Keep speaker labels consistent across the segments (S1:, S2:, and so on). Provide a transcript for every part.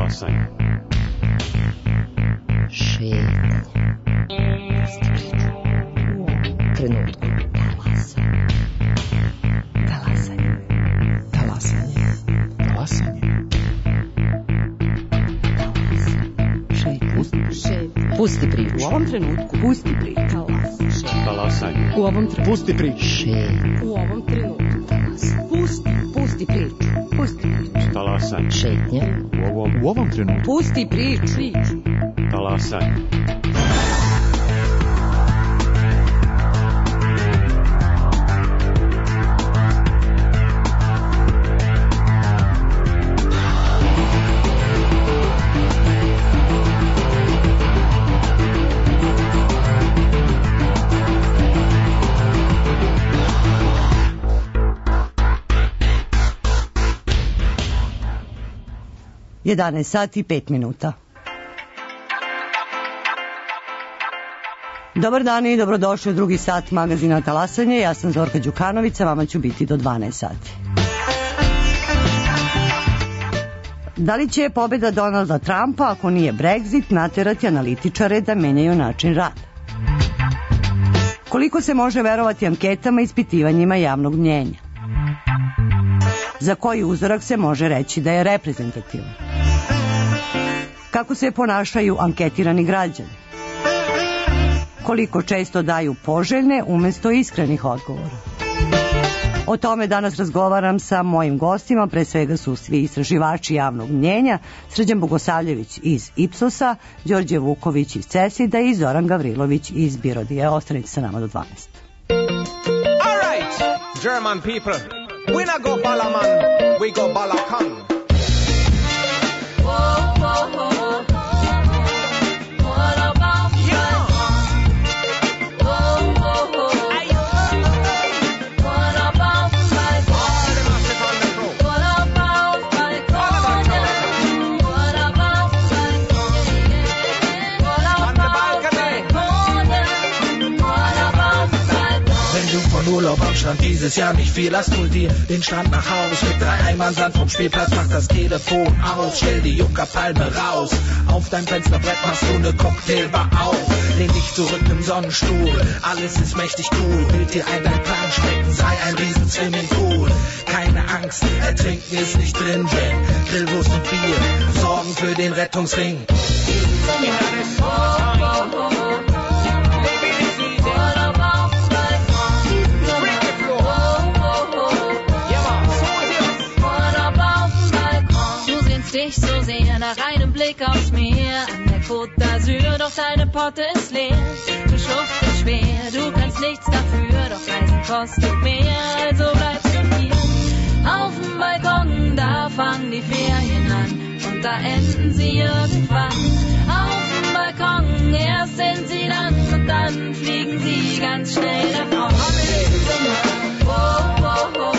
S1: Talasanje.
S2: Šetnja. Trenutku. Talasanje. Talasanje. Talasanje. Pusti priču.
S3: U ovom trenutku.
S2: Pusti priču.
S1: Talasanje.
S3: U ovom trenutku.
S4: Pusti priču.
S3: U ovom trenutku. Pusti priču. Pusti priču.
S1: Talasanje.
S2: Šetnja.
S4: U ovom trenutku.
S3: Pusti priču.
S1: Talasanje.
S5: Jedanaest sati i 5 minuta. Dobar dan i dobrodošli u drugi sat magazina Talasanje. Ja sam Zorka Đukanović, vama ću biti do 12 sati. Da li će pobjeda Donalda Trumpa, ako nije Brexit, naterati analitičare da menjaju način rada? Koliko se može verovati anketama i ispitivanjima javnog mnjenja? Za koji uzorak se može reći da je reprezentativan? Kako se ponašaju anketirani građani? Koliko često daju poželjne umjesto iskrenih odgovora? O tome danas razgovaram sa mojim gostima, pre svega su svi istraživači javnog mnjenja, Srđan Bogosavljević iz Ipsosa, Đorđe Vuković iz Cesida i Zoran Gavrilović iz Birodije. Ostanite sa nama do 12.
S6: All right, German people, we not go Balaman, we go Balakan.
S7: Urlaub am Strand, dieses Jahr nicht viel, lass hol dir den Strand nach Haus. Mit 3 Eimern Sand vom Spielplatz, mach das Telefon aus. Stell die Juckerpalme raus, auf dein Fensterbrett machst du ne Cocktailbar auf. Lehn dich zurück im Sonnenstuhl, alles ist mächtig cool. Bild dir ein, dein Plan schmecken, sei ein riesen Swimmingpool. Keine Angst, ertrinken ist nicht drin, denn Grillwurst und Bier sorgen für den Rettungsring.
S8: Dich so sehr nach einem Blick aufs Meer an der Côte d'Azur, doch deine Potte ist leer. Du schuftest schwer, du kannst nichts dafür, doch Reisen kostet mehr, also bleibst du hier. Auf dem Balkon, da fangen die Ferien an und da enden sie irgendwann. Auf dem Balkon, erst sind sie dann und dann fliegen sie ganz schnell davon. Oh, oh, oh.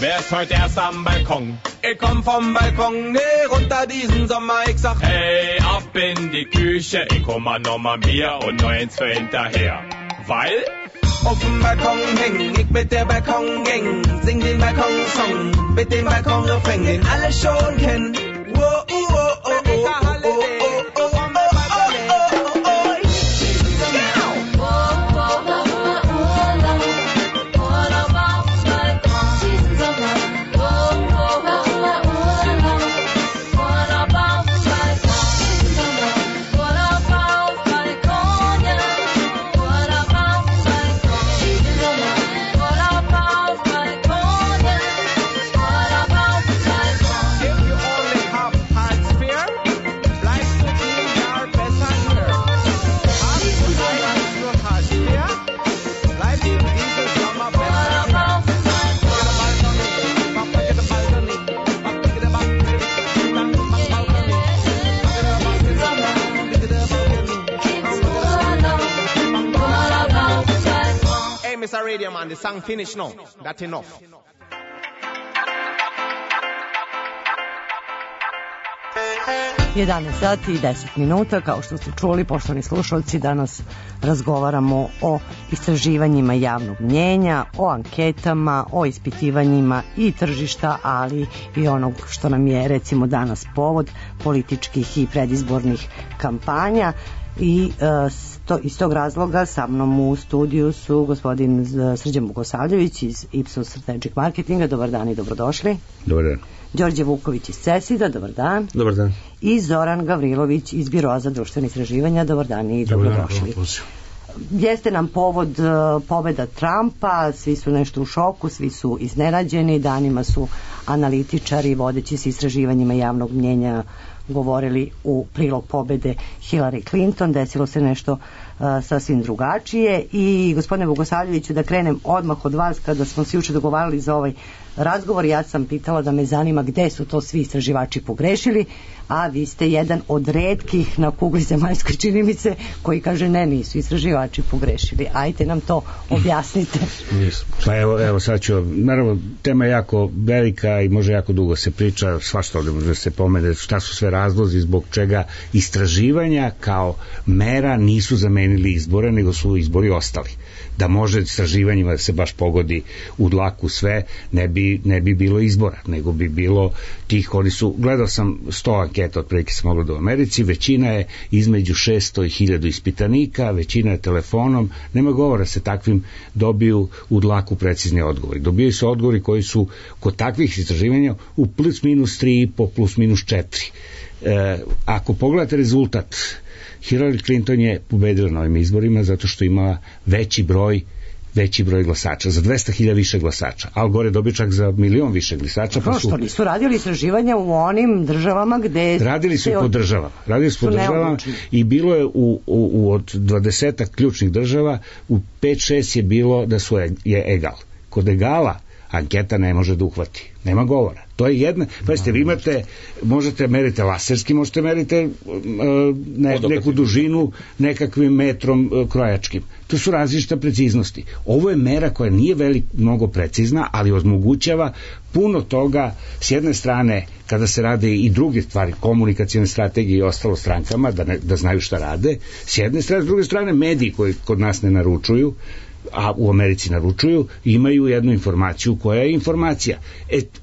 S6: Wer ist heute erst am Balkon? Ich komm vom Balkon, nee, runter diesen Sommer. Ich sag, hey, ab in die Küche. Ich hol mal noch mal Bier und noch eins für hinterher. Weil auf dem Balkon häng ich mit der Balkongang. Sing den Balkonsong mit dem Balkonrefrain, den alle schon kennen. Wow, oh, oh, oh, oh, oh, oh, oh. this a radio man, the song finish now. That enough.
S5: 11 sati i 10 minuta, kao što ste čuli, poštovani slušalci, danas razgovaramo o istraživanjima javnog mnjenja, o anketama, o ispitivanjima i tržišta, ali i onog što nam je recimo danas povod političkih i predizbornih kampanja. I iz tog razloga sa mnom u studiju su gospodin Srđan Bogosavljević iz Ipsos Strategic Marketinga. Dobar dan i dobrodošli.
S9: Dobar dan.
S5: Đorđe Vuković iz CESID-a, dobar dan.
S9: Dobar dan.
S5: I Zoran Gavrilović iz Biroa za društvene istraživanja, dobar dan i dobrodošli. Jeste nam povod pobeda Trumpa, svi su nešto u šoku, svi su iznenađeni, danima su analitičari vodeći se istraživanjima javnog mnjenja govorili u prilog pobede Hillary Clinton, desilo se nešto sasvim drugačije. I gospodine Bogosavljeviću, da krenem odmah od vas, kada smo se juče dogovarali za ovaj razgovor, ja sam pitala da me zanima gde su to svi istraživači pogrešili, a vi ste jedan od retkih na kugli zemaljskoj, čini mi se, koji kaže ne, nisu istraživači pogrešili. Ajte nam to objasnite.
S9: Pa evo sad ću, naravno tema je jako velika i može jako dugo se priča, svašta ovdje može se pomene, šta su sve razlozi zbog čega istraživanja kao mera nisu zamenili izbore, nego su izbori ostali. Da može istraživanjima da se baš pogodi u dlaku sve, ne bi bilo izbora, nego bi bilo tih, oni su, gledao sam 100 anketa otprilike se moglo da u Americi, većina je između 600 i 1000 ispitanika, većina je telefonom, nema govora se takvim dobiju u dlaku precizni odgovori. Dobijaju se odgovori koji su kod takvih istraživanja u plus minus 3,5, plus minus 4. Ako pogledate rezultat, Hillary Clinton je pobedila na ovim izborima zato što ima veći broj glasača, za 200.000 više glasača. Al Gore je dobio čak za 1.000.000 više glasača. Pa
S5: što nisu radili istraživanja u onim državama gde...
S9: Radili su po državama i bilo je od 20 ključnih država, u 5-6 je bilo da je egal. Kod egala anketa ne može da uhvati. Nema govora. To je jedna, pazite, vi imate, možete merite laserski, možete merite neku dužinu nekakvim metrom krojačkim. To su različite preciznosti. Ovo je mera koja nije mnogo precizna, ali omogućava puno toga, s jedne strane, kada se rade i druge stvari, komunikacijne strategije i ostalo strankama, da znaju šta rade, s jedne strane, s druge strane, mediji koji kod nas ne naručuju, a u Americi naručuju, imaju jednu informaciju koja je informacija.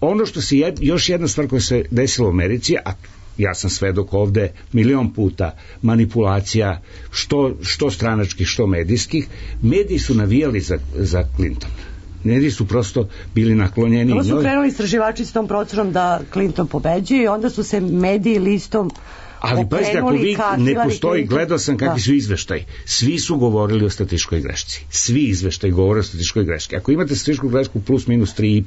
S9: Ono što se još jedna stvar koja se desila u Americi, a ja sam svedok ovde 1.000.000 puta manipulacija, što stranačkih, što medijskih, mediji su navijali za Clinton. Mediji su prosto bili naklonjeni.
S5: Ovo su krenuli istraživači s tom procenom da Clinton pobeđuje i onda su se mediji listom
S9: ali pazite, ako vi ne postoji, gledao sam kakvi su izveštaji, svi su govorili o statističkoj grešci, svi izveštaji govore o statističkoj greški. Ako imate statističku grešku plus minus 3,5,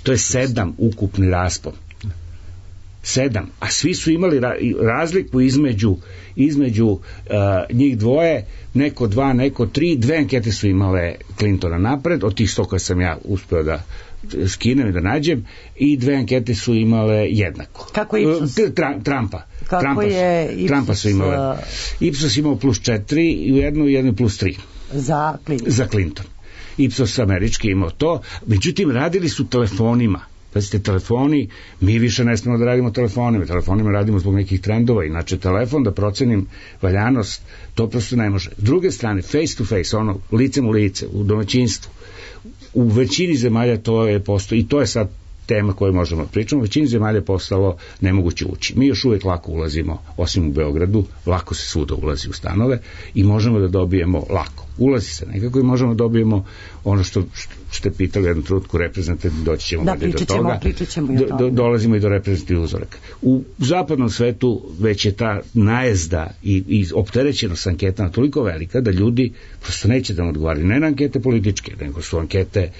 S9: to je 7 ukupni raspon, 7, a svi su imali razliku između njih dvoje, neko 2, neko 3, 2 ankete su imale Clintona napred, od tih 100 koje sam ja uspeo da skinem i da nađem, i 2 ankete su imale jednako.
S5: Kako je Ipsos?
S9: Trumpa su imale. Ipsos imao plus 4 i u jednu plus 3. Za Clinton. Ipsos američki imao to, međutim radili su telefonima. Pazite, telefoni, mi više ne smemo da radimo telefonima radimo zbog nekih trendova, inače telefon da procenim valjanost, to prosto ne može. S druge strane, face to face, ono, licem u lice, u domaćinstvu, u većini zemalja to je postoji, i to je sad tema koju možemo pričati, u većini zemalja je postalo nemoguće ući. Mi još uvijek lako ulazimo, osim u Beogradu, lako se svuda ulazi u stanove i možemo da dobijemo lako. Ulazi se nekako i možemo da dobijemo ono što ste pitali u jednom trenutku, reprezentativni, doći ćemo do toga. Dolazimo i do reprezentativnih uzoraka. U zapadnom svetu već je ta najezda i opterećenost anketama toliko velika da ljudi prosto neće da nam odgovaraju. Ne na ankete političke, nego su ankete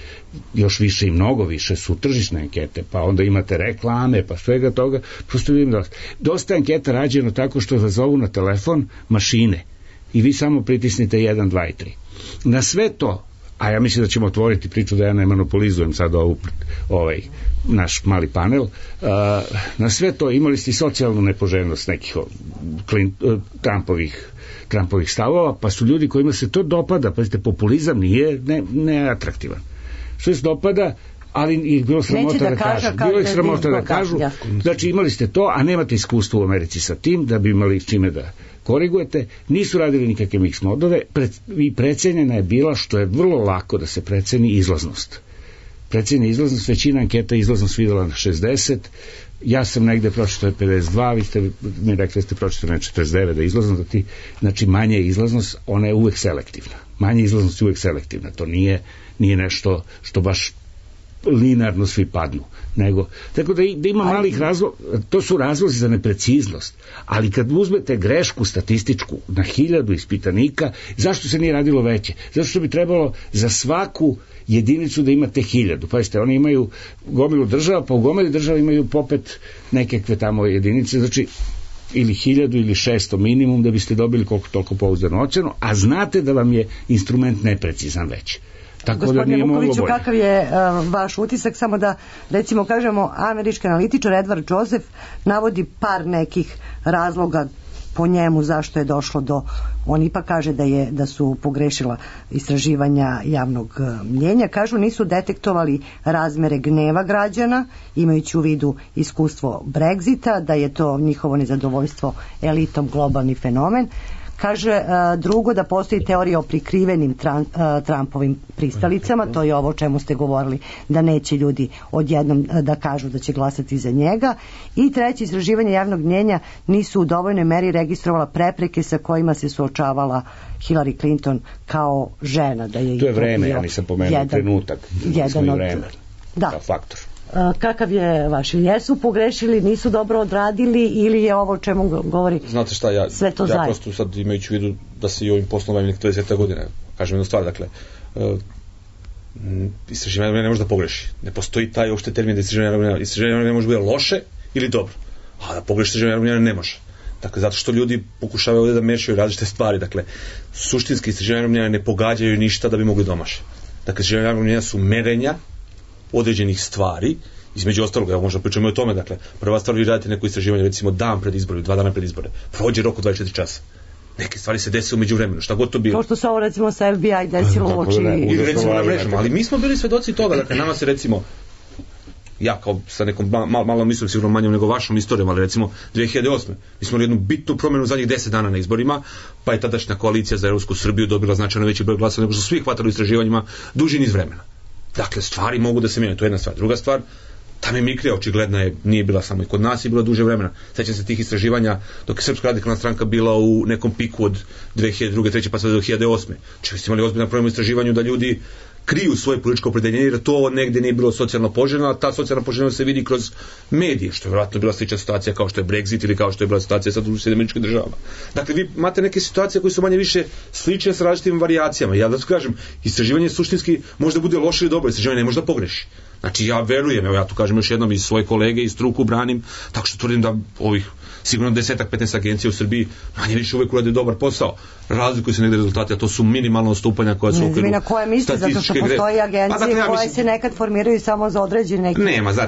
S9: još više i mnogo više, su tržišne ankete, pa onda imate reklame, pa svega toga. Prosto vidim dosta anketa rađeno tako što zazovu na telefon mašine i vi samo pritisnite 1, 2 i 3. Na sve to, a ja mislim da ćemo otvoriti priču da ja ne monopolizujem sad naš mali panel, na sve to imali ste i socijalnu nepoželjnost nekih Trumpovih stavova, pa su ljudi kojima se to dopada, pazite, populizam nije neatraktivan. Što se dopada, ali ih bilo sramota da kažu. Bilo ih sramota da kažu. Znači imali ste to, a nemate iskustvo u Americi sa tim, da bi imali čime da korigujete. Nisu radili nikakve mix modove i precenjena je bila, što je vrlo lako da se preceni, izlaznost. Precenjena izlaznost, većina anketa izlaznost videla na 60, ja sam negde pročitao 52, vi ste mi rekli da ste pročitali na 49 da izlaznost, znači manje je izlaznost, ona je uvek selektivna. Manje izlaznost je uvek selektivna, to nije nešto što baš linearno svi padnu, tako da ima malih razloga, to su razlozi za nepreciznost, ali kad uzmete grešku statističku na 1000 ispitanika, zašto se nije radilo veće? Zato što bi trebalo za svaku jedinicu da imate 1000. Pazite, oni imaju gomilu država, pa u gomili država imaju popet nekakve tamo jedinice, znači ili 1000 ili 600 minimum da biste dobili koliko toliko pouzdanu ocenu, a znate da vam je instrument neprecizan već.
S5: Gospodine Vukoviću, kakav je vaš utisak? Samo da recimo kažemo, američki analitičar Edward Joseph navodi par nekih razloga po njemu zašto je došlo do, on ipak kaže da su pogrešila istraživanja javnog mnjenja, kažu nisu detektovali razmere gneva građana, imajući u vidu iskustvo Brexita, da je to njihovo nezadovoljstvo elitom globalni fenomen. Kaže drugo, da postoji teorija o prikrivenim Trumpovim pristalicama, to je ovo o čemu ste govorili, da neće ljudi odjednom da kažu da će glasati za njega. I treće, istraživanje javnog mnjenja nisu u dovoljnoj meri registrovala prepreke sa kojima se suočavala Hillary Clinton kao žena. Da je
S9: to je vreme, ja nisam pomenuo trenutak, jedan od vreme, kao faktor.
S5: Kakav je vaš? Jesu pogrešili, nisu dobro odradili ili je ovo o čemu govori?
S10: Znate šta,
S5: sve to zajedno?
S10: Ja prosto sad imajući u vidu da se i ovim poslom bavim 20 godina, kažem jednu stvar, dakle, istraživanje ne može da pogreši. Ne postoji taj uopšte termin da istraživanje ne može biti loše ili dobro, a da pogreši istraživanje ne može. Dakle, zato što ljudi pokušavaju ovdje da mešaju različite stvari. Dakle, suštinski istraživanje ne pogađaju ništa da bi mogli domaše. Dakle, istraživanje su merenja određenih stvari, između ostalog, evo možda pričamo i o tome, dakle, prva stvar, vi radite neko istraživanje, recimo dan pred izbore, 2 dana pred izbore, prođe rok od 24 časa. Neke stvari se dese umeđu vremenu, šta god to bilo.
S5: To što se ovo recimo sa FBI desilo uoči.
S10: Ili recimo na mrežama, ali mi smo bili svedoci toga, dakle, nama se recimo, ja kao sa nekom malo mislim sigurno manjom nego vašom istorijom, ali recimo 2008. Mi smo jednu bitnu promjenu zadnjih 10 dana na izborima, pa je tadašnja koalicija za Evropsku Srbiju dobila značajno veći broj glasa nego što su svi hvatali u istraživanjima duži niz vremena. Dakle, stvari mogu da se mijenjaju, to je jedna stvar. Druga stvar, ta mimikrija očigledna je, nije bila samo i kod nas, je bila duže vremena. Sećam se tih istraživanja dok je Srpska radikalna stranka bila u nekom piku od 2002. 2003. pa sve do 2008. Čili ste imali ozbiljno problem u istraživanju da ljudi kriju svoje političko opredeljenje, jer to negde nije bilo socijalno poželjno, a ta socijalna poželjnost se vidi kroz medije, što je vjerojatno bila slična situacija kao što je Brexit ili kao što je bila situacija sa Američkim državama. Dakle, vi imate neke situacije koje su manje više slične sa različitim varijacijama. Ja da tu kažem, istraživanje suštinski možda bude loše ili dobro, istraživanje ne može da pogreši. Znači, ja verujem, evo ja tu kažem još jednom, iz svoje kolege i struku branim, tako što tvrdim da ovih sigurno 10-15 agencija u Srbiji manje više uvek urade dobar posao. Razlikuju se negde rezultati, a to su minimalno odstupanja koja su u okviru
S5: na koje misli, zato što postoji agencije koje se nekad formiraju samo za određen neki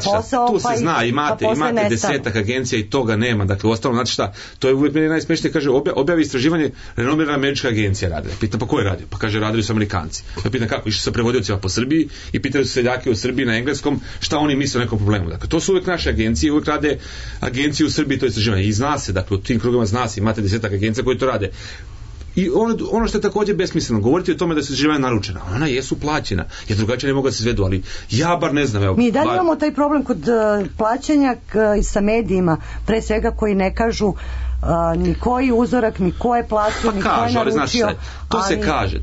S5: posao.
S10: Tu se zna, imate 10 agencija i toga nema. Dakle, uostalom, znate šta, to je uvek meni najsmešnije, kaže, objavi istraživanje, renomirana američka agencija radi. Pitam, pa ko je radio? Pa kaže, radili su Amerikanci. Ja pitam kako, išli sa prevodiocima po Srbiji i pitali su seljake u Srbiji na engleskom šta oni misle o nekom problemu. Dakle, to su uvek naše agencije, uvek rade agencije u Srbiji, to je istraživanje. I zna se, dakle, u tim krugovima zna se, imate 10 agencija koje to rade. I ono što je također besmisleno, govoriti o tome da su istraživanja naručena, ona jesu plaćena, jer drugačije ne mogu da se izvedu, ali ja bar ne znam. Evo,
S5: mi dalje imamo taj problem kod plaćanja sa medijima, pre svega koji ne kažu ni koji uzorak, ni ko je platio, ni ko je naručio.
S10: To se kaže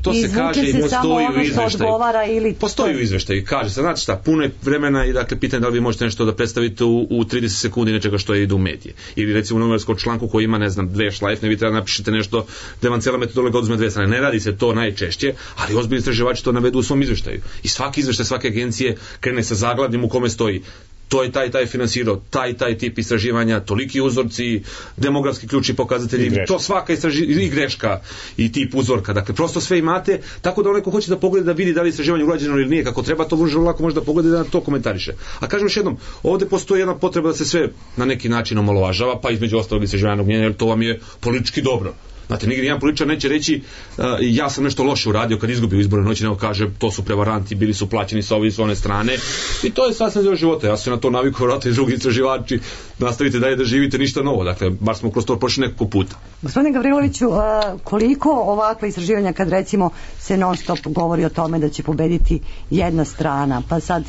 S10: i postoji u izveštaju. Postoji u izveštaju, kaže se, znate šta, puno je vremena i dakle pitanje da li vi možete nešto da predstavite u 30 sekundi nečega što ide u medije. Ili recimo u novinarskom članku koji ima, ne znam, 2 šlajfne, vi treba napišete nešto da vam cijela metodologija oduzme 2 strane. Ne radi se to najčešće, ali ozbiljni istraživači to navedu u svom izveštaju. I svaki izveštaj svake agencije krene sa zaglavljem u kome stoji to je taj finansirao, taj tip istraživanja, toliki uzorci, demografski ključni pokazatelji, to svaka i greška i tip uzorka, dakle prosto sve imate, tako da onaj ko hoće da pogleda da vidi da li istraživanje urađeno ili nije kako treba, to lako može da pogleda da to komentariše. A kažem još jednom, ovde postoji jedna potreba da se sve na neki način omalovažava, pa između ostalog istraživanog mnjenja, jer to vam je politički dobro. Znate, nigdje jedan političar neće reći ja sam nešto loše uradio kad izgubio izborne noći, nego kaže to su prevaranti, bili su plaćeni sa ove i s one strane, i to je sasvim deo života. Ja sam na to navikao, vratno i drugi istraživači, nastavite dalje da živite, ništa novo, dakle, bar smo kroz to prošli nekako puta.
S5: Gospodine Gavriloviću, koliko ovakva istraživanja, kad recimo se non stop govori o tome da će pobediti jedna strana, pa sad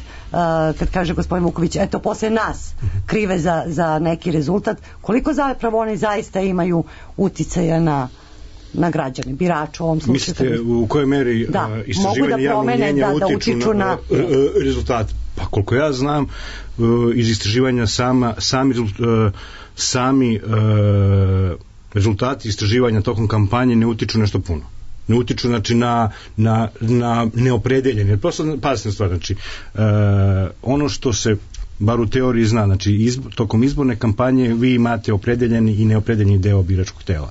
S5: kad kaže gospodin Vuković, eto posle nas krive za neki rezultat, koliko zapravo oni zaista imaju uticaja na građane, biraču u ovom slučaju?
S11: Mislite u kojoj meri istraživanje javnog mnjenja utiču na rezultat? Pa koliko ja znam, iz istraživanja sami rezultati istraživanja tokom kampanje ne utiču nešto puno. Ne utiču, znači, na neopredeljenje. Prosto, pazite stvar, znači, ono što se bar u teoriji zna, znači tokom izborne kampanje vi imate opredeljeni i neopredeljeni deo biračkog tela.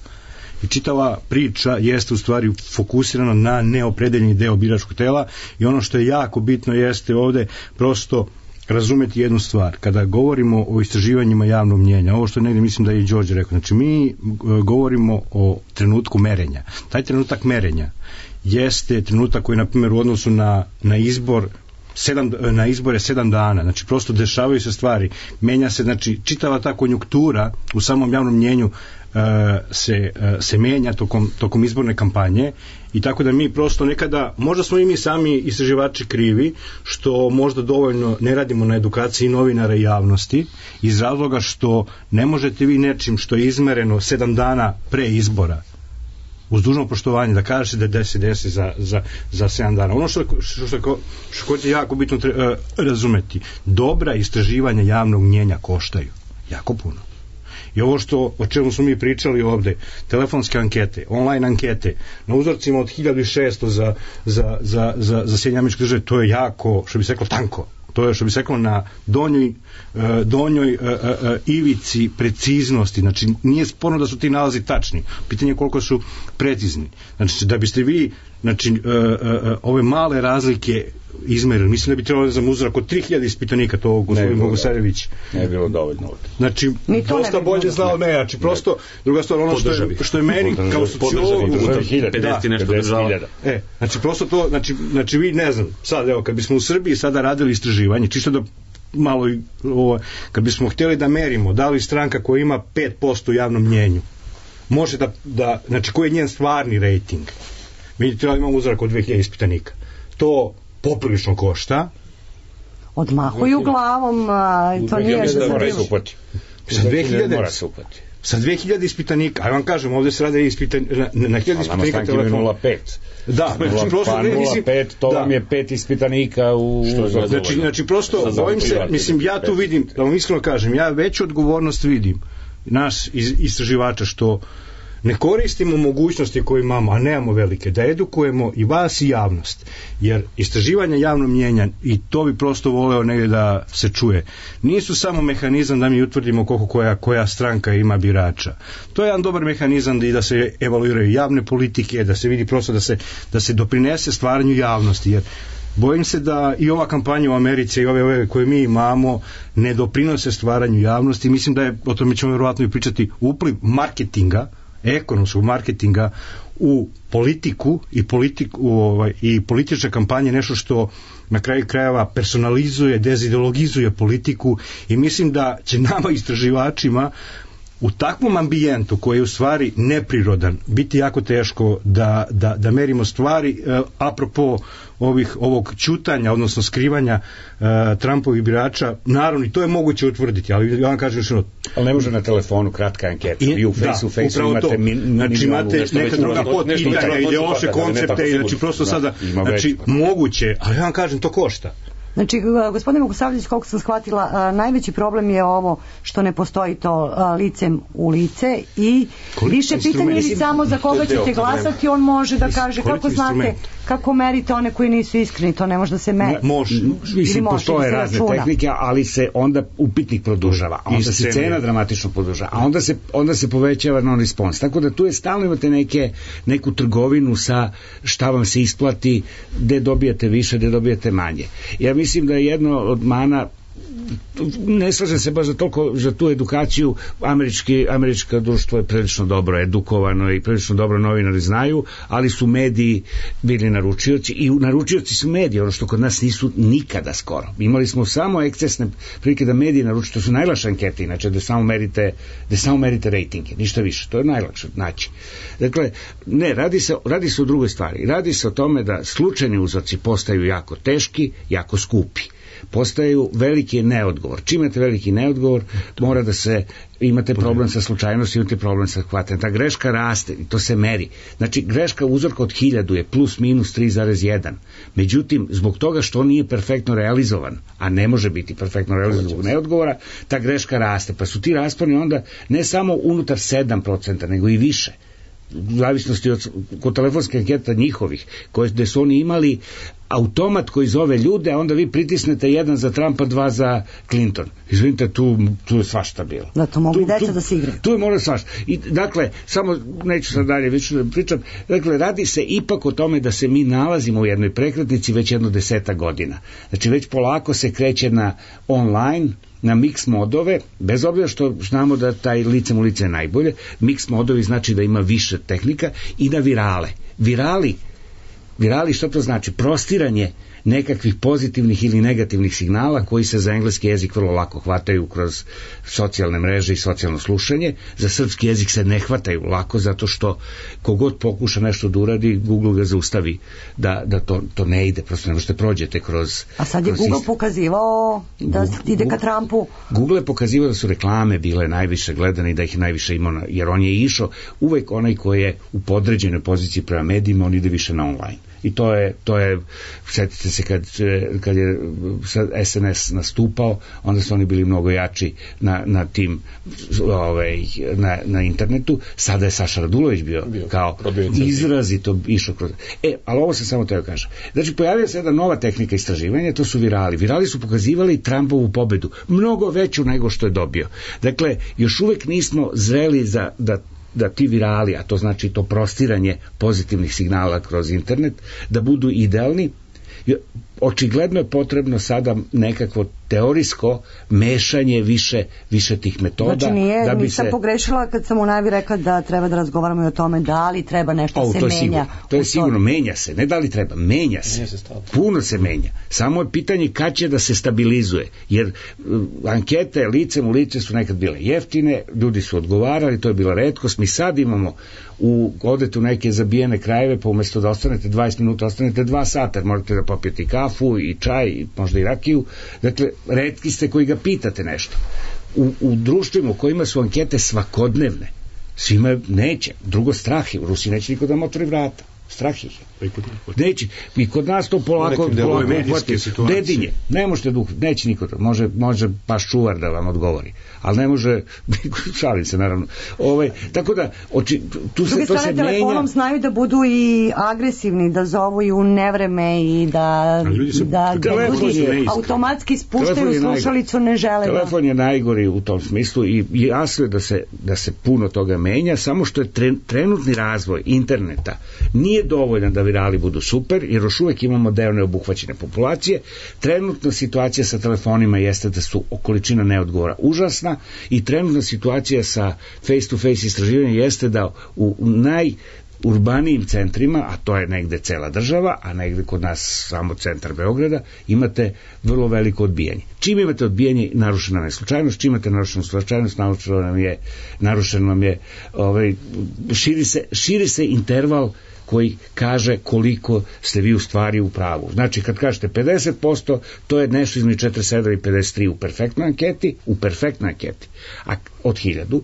S11: I čitava priča jeste u stvari fokusirana na neopredeljeni deo biračkog tela, i ono što je jako bitno jeste ovde prosto razumeti jednu stvar. Kada govorimo o istraživanjima javnog mnjenja, ovo što negdje mislim da je i Đorđe rekao, znači mi govorimo o trenutku merenja. Taj trenutak merenja jeste trenutak koji, na primjer, u odnosu na izbore 7 dana, znači prosto dešavaju se stvari, menja se, znači čitava ta konjunktura u samom javnom mnjenju se menja tokom izborne kampanje, i tako da mi prosto nekada, možda smo i mi sami istraživači krivi što možda dovoljno ne radimo na edukaciji novinara i javnosti, iz razloga što ne možete vi nečim što je izmereno 7 dana pre izbora, uz dužno poštovanje, da kažete da se desi za 7 dana. Ono što je jako bitno razumeti, dobra istraživanja javnog mnjenja koštaju jako puno. I ovo o čemu smo mi pričali ovde, telefonske ankete, online ankete, na uzorcima od 1600 za Sjedinjene Američke Države, to je jako, što bi se reklo, tanko. To je, što bi se reklo, na donjoj ivici preciznosti. Znači, nije sporno da su ti nalazi tačni. Pitanje je koliko su precizni. Znači, da biste vi, znači, ove male razlike izmerili, mislim da bi trebalo za uzorak od 3000 ispitanika, to gospodin Bogosavljević
S9: ne bilo dovoljno.
S11: Znači, dosta bolje znao ne, znači prosto, druga stvar, ono što je meni kao sociolog
S10: 50 nešto država.
S11: Znači prosto to, znači vi, ne znam, sad evo, kad bismo u Srbiji sada radili istraživanje, čisto da malo, kad bismo htjeli da merimo da li stranka koja ima 5% u javnom mnjenju može da, znači koji je njen stvarni rejting, mi trebali imamo uzorak od 2000 ispitanika, to poprilično košta.
S5: Odmahuju glavom, to nije
S9: za
S11: sa 2000 ispitanika, a vam kažem, ovdje se rade na 1000 ispitanika telefona.
S9: 0,5.
S11: Da, znači prosto
S9: 0,5, to vam je 5 ispitanika u...
S11: Znači prosto, bojim se, mislim, ja tu vidim, da vam iskreno kažem, ja veću odgovornost vidim nas istraživača što ne koristimo mogućnosti koje imamo, a nemamo velike, da edukujemo i vas i javnost, jer istraživanja javnog mnjenja, i to bi prosto voleo negdje da se čuje, nisu samo mehanizam da mi utvrdimo koliko koja stranka ima birača. To je jedan dobar mehanizam da se evaluiraju javne politike, da se vidi prosto da se doprinese stvaranju javnosti, jer bojim se da i ova kampanja u Americi i ove koje mi imamo ne doprinose stvaranju javnosti. Mislim da je, o tome ćemo vjerovatno i pričati, upliv marketinga, ekonomskog marketinga u politiku i političke kampanje nešto što na kraju krajeva personalizuje, dezideologizuje politiku, i mislim da će nama istraživačima u takvom ambijentu koji je u stvari neprirodan biti jako teško da merimo stvari apropo ovog ćutanja, odnosno skrivanja Trumpovih birača. Naravno, i to je moguće utvrditi, ali ja vam kažem što...
S9: Ali ne može na telefonu kratka anketa. Vi u Face-u imate
S11: znači imate neka druga podpitanja, ideološke koncepte, i znači prosto sada, znači moguće, ali ja vam kažem, to košta.
S5: Znači, gospodine Bogosavljević, koliko sam shvatila, najveći problem je ovo što ne postoji to licem u lice i više pitanje ili samo za koga ćete glasati, on može da kaže kako znate, kako merite one koji nisu iskreni, to ne može da se meri.
S9: Može. Mislim, postoje razne tehnike, ali se onda upitnik produžava, a onda se cena dramatično produžava, a onda se povećava non-response. Tako da tu je stalno imate neku trgovinu sa šta vam se isplati, gde dobijate više, gde dobijate manje. Ja mislim da je jedno od mana, ne slažem se baš za tu edukaciju, američko društvo je prilično dobro edukovano i prilično dobro novinari znaju, ali su mediji bili naručioci i naručioci su mediji, ono što kod nas nisu nikada skoro. Imali smo samo ekscesne prilike da mediji naručuju, to su najlakše ankete, inače da samo merite rejtinge, ništa više, to je najlakše naći. Dakle, ne, radi se o drugoj stvari, radi se o tome da slučajni uzorci postaju jako teški, jako skupi. Postaju veliki neodgovor. Čim imate veliki neodgovor, mora da se, imate problem sa slučajnosti, imate problem sa hvatanjem. Ta greška raste i to se meri. Znači, greška uzorka od 1000 je plus minus 3,1. Međutim, zbog toga što on nije perfektno realizovan, a ne može biti perfektno realizovan zbog neodgovora, ta greška raste. Pa su ti rasponi onda ne samo unutar 7%, nego i više. U zavisnosti kod telefonske anketa njihovih, gde su oni imali automat koji zove ljude, a onda vi pritisnete 1 za Trumpa, 2 za Clinton. Izvinite, tu je svašta bilo.
S5: Da, to mogu i deca da se igraju.
S9: Tu je mora svašta. I, dakle, samo neću sad dalje više da pričam, dakle, radi se ipak o tome da se mi nalazimo u jednoj prekretnici već 10 godina. Znači, već polako se kreće na online, na mix modove, bez obzira što znamo da taj licem u lice je najbolje, mix modovi znači da ima više tehnika, i na virale. Virali, što to znači? Prostiranje nekakvih pozitivnih ili negativnih signala koji se za engleski jezik vrlo lako hvataju kroz socijalne mreže i socijalno slušanje. Za srpski jezik se ne hvataju lako, zato što kogod pokuša nešto da uradi, Google ga zaustavi da to ne ide, prosto ne možete prođete kroz...
S5: A sad je Google pokazivao da ide ka Trumpu.
S9: Google je pokazivao da su reklame bile najviše gledane i da ih je najviše imao, jer on je išao, uvek onaj koji je u podređenoj poziciji prema medijima, on ide više na online. I to je, sjetite se kad je SNS nastupao, onda su oni bili mnogo jači na tim na internetu. Sada je Saša Radulović bio kao izrazito išao kroz... ali ovo se samo teo kažem. Znači, pojavila se jedna nova tehnika istraživanja, to su virali. Virali su pokazivali Trumpovu pobedu, mnogo veću nego što je dobio. Dakle, još uvek nismo zreli da ti virali, a to znači to prostiranje pozitivnih signala kroz internet, da budu idealni. Očigledno je potrebno sada nekakvo teorijsko mešanje više tih metoda.
S5: Znači nisam pogrešila kad sam u najavi rekla da treba da razgovaramo i o tome da li treba nešto se menja.
S9: To je sigurno, menja se, ne da li treba, menja se. Puno se menja. Samo je pitanje kad će da se stabilizuje, jer ankete licem u lice su nekad bile jeftine, ljudi su odgovarali, to je bila retkost. Mi sad imamo odete u neke zabijene krajeve, pa umjesto da ostanete 20 minuta, ostanete 2 sata, jer morate da popijete kafu i čaj, možda i rakiju. Dakle, retki ste koji ga pitate nešto. U društvima u kojima su ankete svakodnevne, svima neće. Drugo, strah je. U Rusiji neće niko da vam otvori vrata. Strah ih je. Neće. I kod nas to polako dedinje. Ne možete neće niko da. Može baš čuvar da vam odgovori. Ali ne može, šalim se naravno. Tako da, tu se to se menja.
S5: Telefonom znaju da budu i agresivni, da zovu i u nevreme i da ljudi automatski spuštaju slušalicu, ne žele.
S9: Telefon je najgori u tom smislu i jasno je da se puno toga menja, samo što je trenutni razvoj interneta nije dovoljan da virali budu super, jer još uvek imamo deo neobuhvaćene populacije. Trenutna situacija sa telefonima jeste da su količina neodgovora užasna i trenutna situacija sa face-to-face istraživanjem jeste da u urbanijim centrima, a to je negde cela država, a negde kod nas samo centar Beograda, imate vrlo veliko odbijanje. Čim imate odbijanje, narušena je slučajnost, čim imate narušenu slučajnost, narušeno nam je širi se interval koji kaže koliko ste vi u stvari u pravu. Znači, kad kažete 50%, to je nešto između 47 i 53 u perfektnoj anketi, od 1000,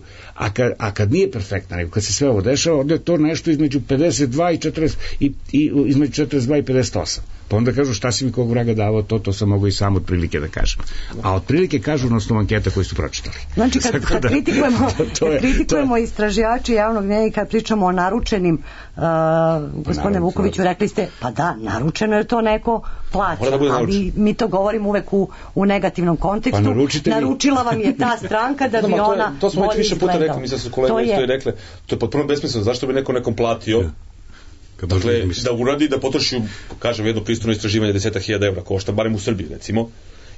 S9: a kad nije perfektna, nego kad se sve ovo dešava, onda je to nešto između 52 i 40, i između 42 i 58. Pa onda kažu šta si mi kog vraga davao, to sam mogu i sam otprilike da kažem. A otprilike kažu na osnovu anketa koje su pročitali.
S5: Znači kad kritikujemo istraživači javnog mnjenja i kad pričamo o naručenim, gospodine Vukoviću, rekli ste, pa da, naručeno je to neko plaća, ali mi to govorimo uvek u negativnom kontekstu. Pa naručila vam je ta stranka da bi ona
S10: to smo već više puta rekli, mislim da su kolege isto i rekle, to je potpuno besmisleno, zašto bi neko nekom platio. Dakle, da uradi, da potroši, kažem, jedno pristojno istraživanje 10.000 evra košta, barem u Srbiji, recimo,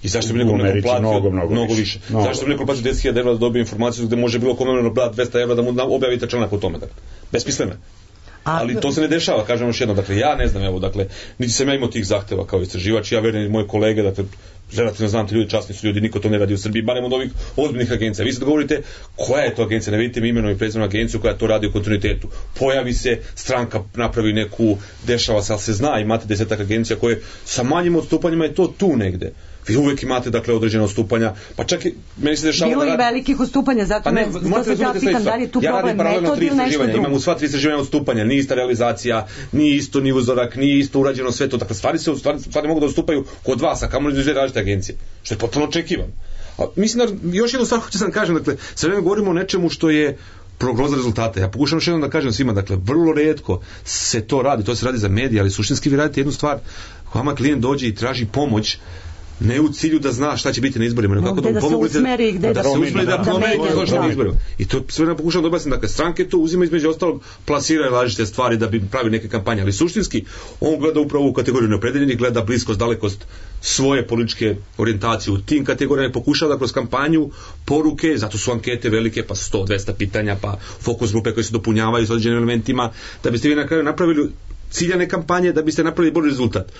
S10: i zašto bi nekom platio mnogo više. Zašto bi nekom platio 10.000 evra da dobije informaciju gde može bilo kome brati 200 evra da mu objavite članak o tome. Dakle, besmisleno. Ali to se ne dešava, kažem još jedno, dakle, ja ne znam, evo, dakle, niti sam ja imao tih zahteva kao istraživač, ja verujem i moje kolege, dakle, relativno znam te ljudi, časni su ljudi, niko to ne radi u Srbiji, barem od ovih ozbiljnih agencija. Vi sad govorite koja je to agencija, ne vidite mi imenom i prezimenom agenciju koja to radi u kontinuitetu. Pojavi se, stranka napravi neku, dešava se, ali se zna, imate 10 agencija koje sa manjim odstupanjima je to tu negde. Vi uvek imate, dakle, određene odstupanja, pa čak i meni se dešava
S5: bilo i velikih odstupanja, zato se ja pitam da li je tu problem metod ili nešto drugo.
S10: Imam u sva 3 istraživanja odstupanja, nije ista realizacija, nije isto ni uzorak, nije isto urađeno sve to, dakle, stvari mogu da odstupaju kod vas, a kamoli iz dve različite agencije, što je potpuno očekivano. Mislim da još jednu stvar hoću sam kažem, dakle, sve vreme govorimo o nečemu što je prognoza rezultata. Ja pokušam još jednom da kažem svima, dakle, vrlo retko se to radi, to se radi za medije, ali suštinski vi radite jednu stvar, vama klijent dođe i traži pomoć, ne u cilju da zna šta će biti na izborima, nego kako da mu pomognete da se usmeri da promeni na izborima. I to sve vreme pokušam da objasnim, dakle, stranke to uzima između ostalog, plasiraju različite stvari da bi pravi neke kampanje, ali suštinski on gleda upravo u kategoriju neopredeljenih, gleda bliskost, dalekost svoje političke orijentacije u tim kategorijama i pokušava da kroz kampanju poruke, zato su ankete velike, pa 100-200 pitanja, pa fokus grupe koje se dopunjavaju s određenim elementima, da biste vi na kraju napravili ciljane kampanje, da biste napravili bolji rezultat.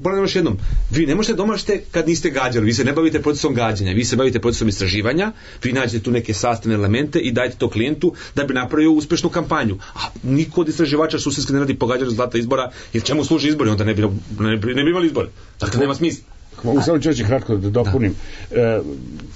S10: Ponavljam još jednom, vi ne možete domašite kad niste gađali, vi se ne bavite procesom gađanja, vi se bavite procesom istraživanja, vi nađete tu neke sastavne elemente i dajte to klijentu da bi napravio uspešnu kampanju. A niko od istraživača suštinski ne radi pogađanje rezultata izbora, jer čemu služi izbori, onda ne bi imali izbore. Dakle, nema smisla.
S9: Samo ću kratko da dopunim.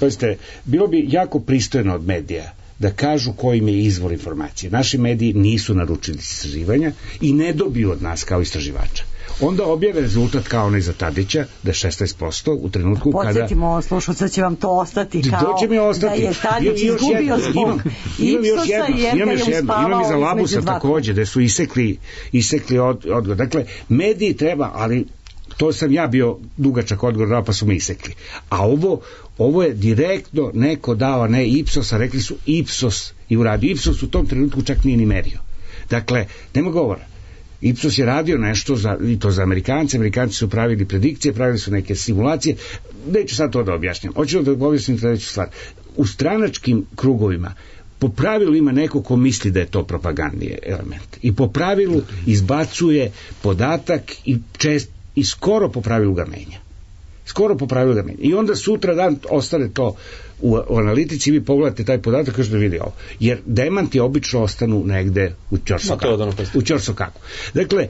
S9: Pazite, bilo bi jako pristojno od medija da kažu koji im je izvor informacije. Naši mediji nisu naručili istraživanja i ne dobiju od nas kao istraživača. Onda objave rezultat kao onaj za Tadića, da je 16% u trenutku kada...
S5: Podsjetimo, slušalca će vam to ostati kao da je Tadić izgubio zbog Ipsosa jer ga je uspavao.
S9: Imam i za Labusa takođe, da su isekli odgovor. Dakle, mediji treba, ali to sam ja bio dugačak odgovor dao, pa su me isekli. A ovo je direktno neko dao, ne Ipsosa, rekli su Ipsos i uradio. Ipsos u tom trenutku čak nije ni merio. Dakle, nema govora. Ipsos je radio nešto i to za Amerikanci su pravili predikcije, pravili su neke simulacije, neću sad to da objašnjam, hoću da objasnim sledeću stvar. U stranačkim krugovima po pravilu ima neko ko misli da je to propagandni element i po pravilu izbacuje podatak i skoro po pravilu ga menja. I onda sutra dan ostane to u analitici, vi pogledate taj podatak kao što vidi ovo. Jer demanti obično ostanu negde u ćorsokaku. Dakle,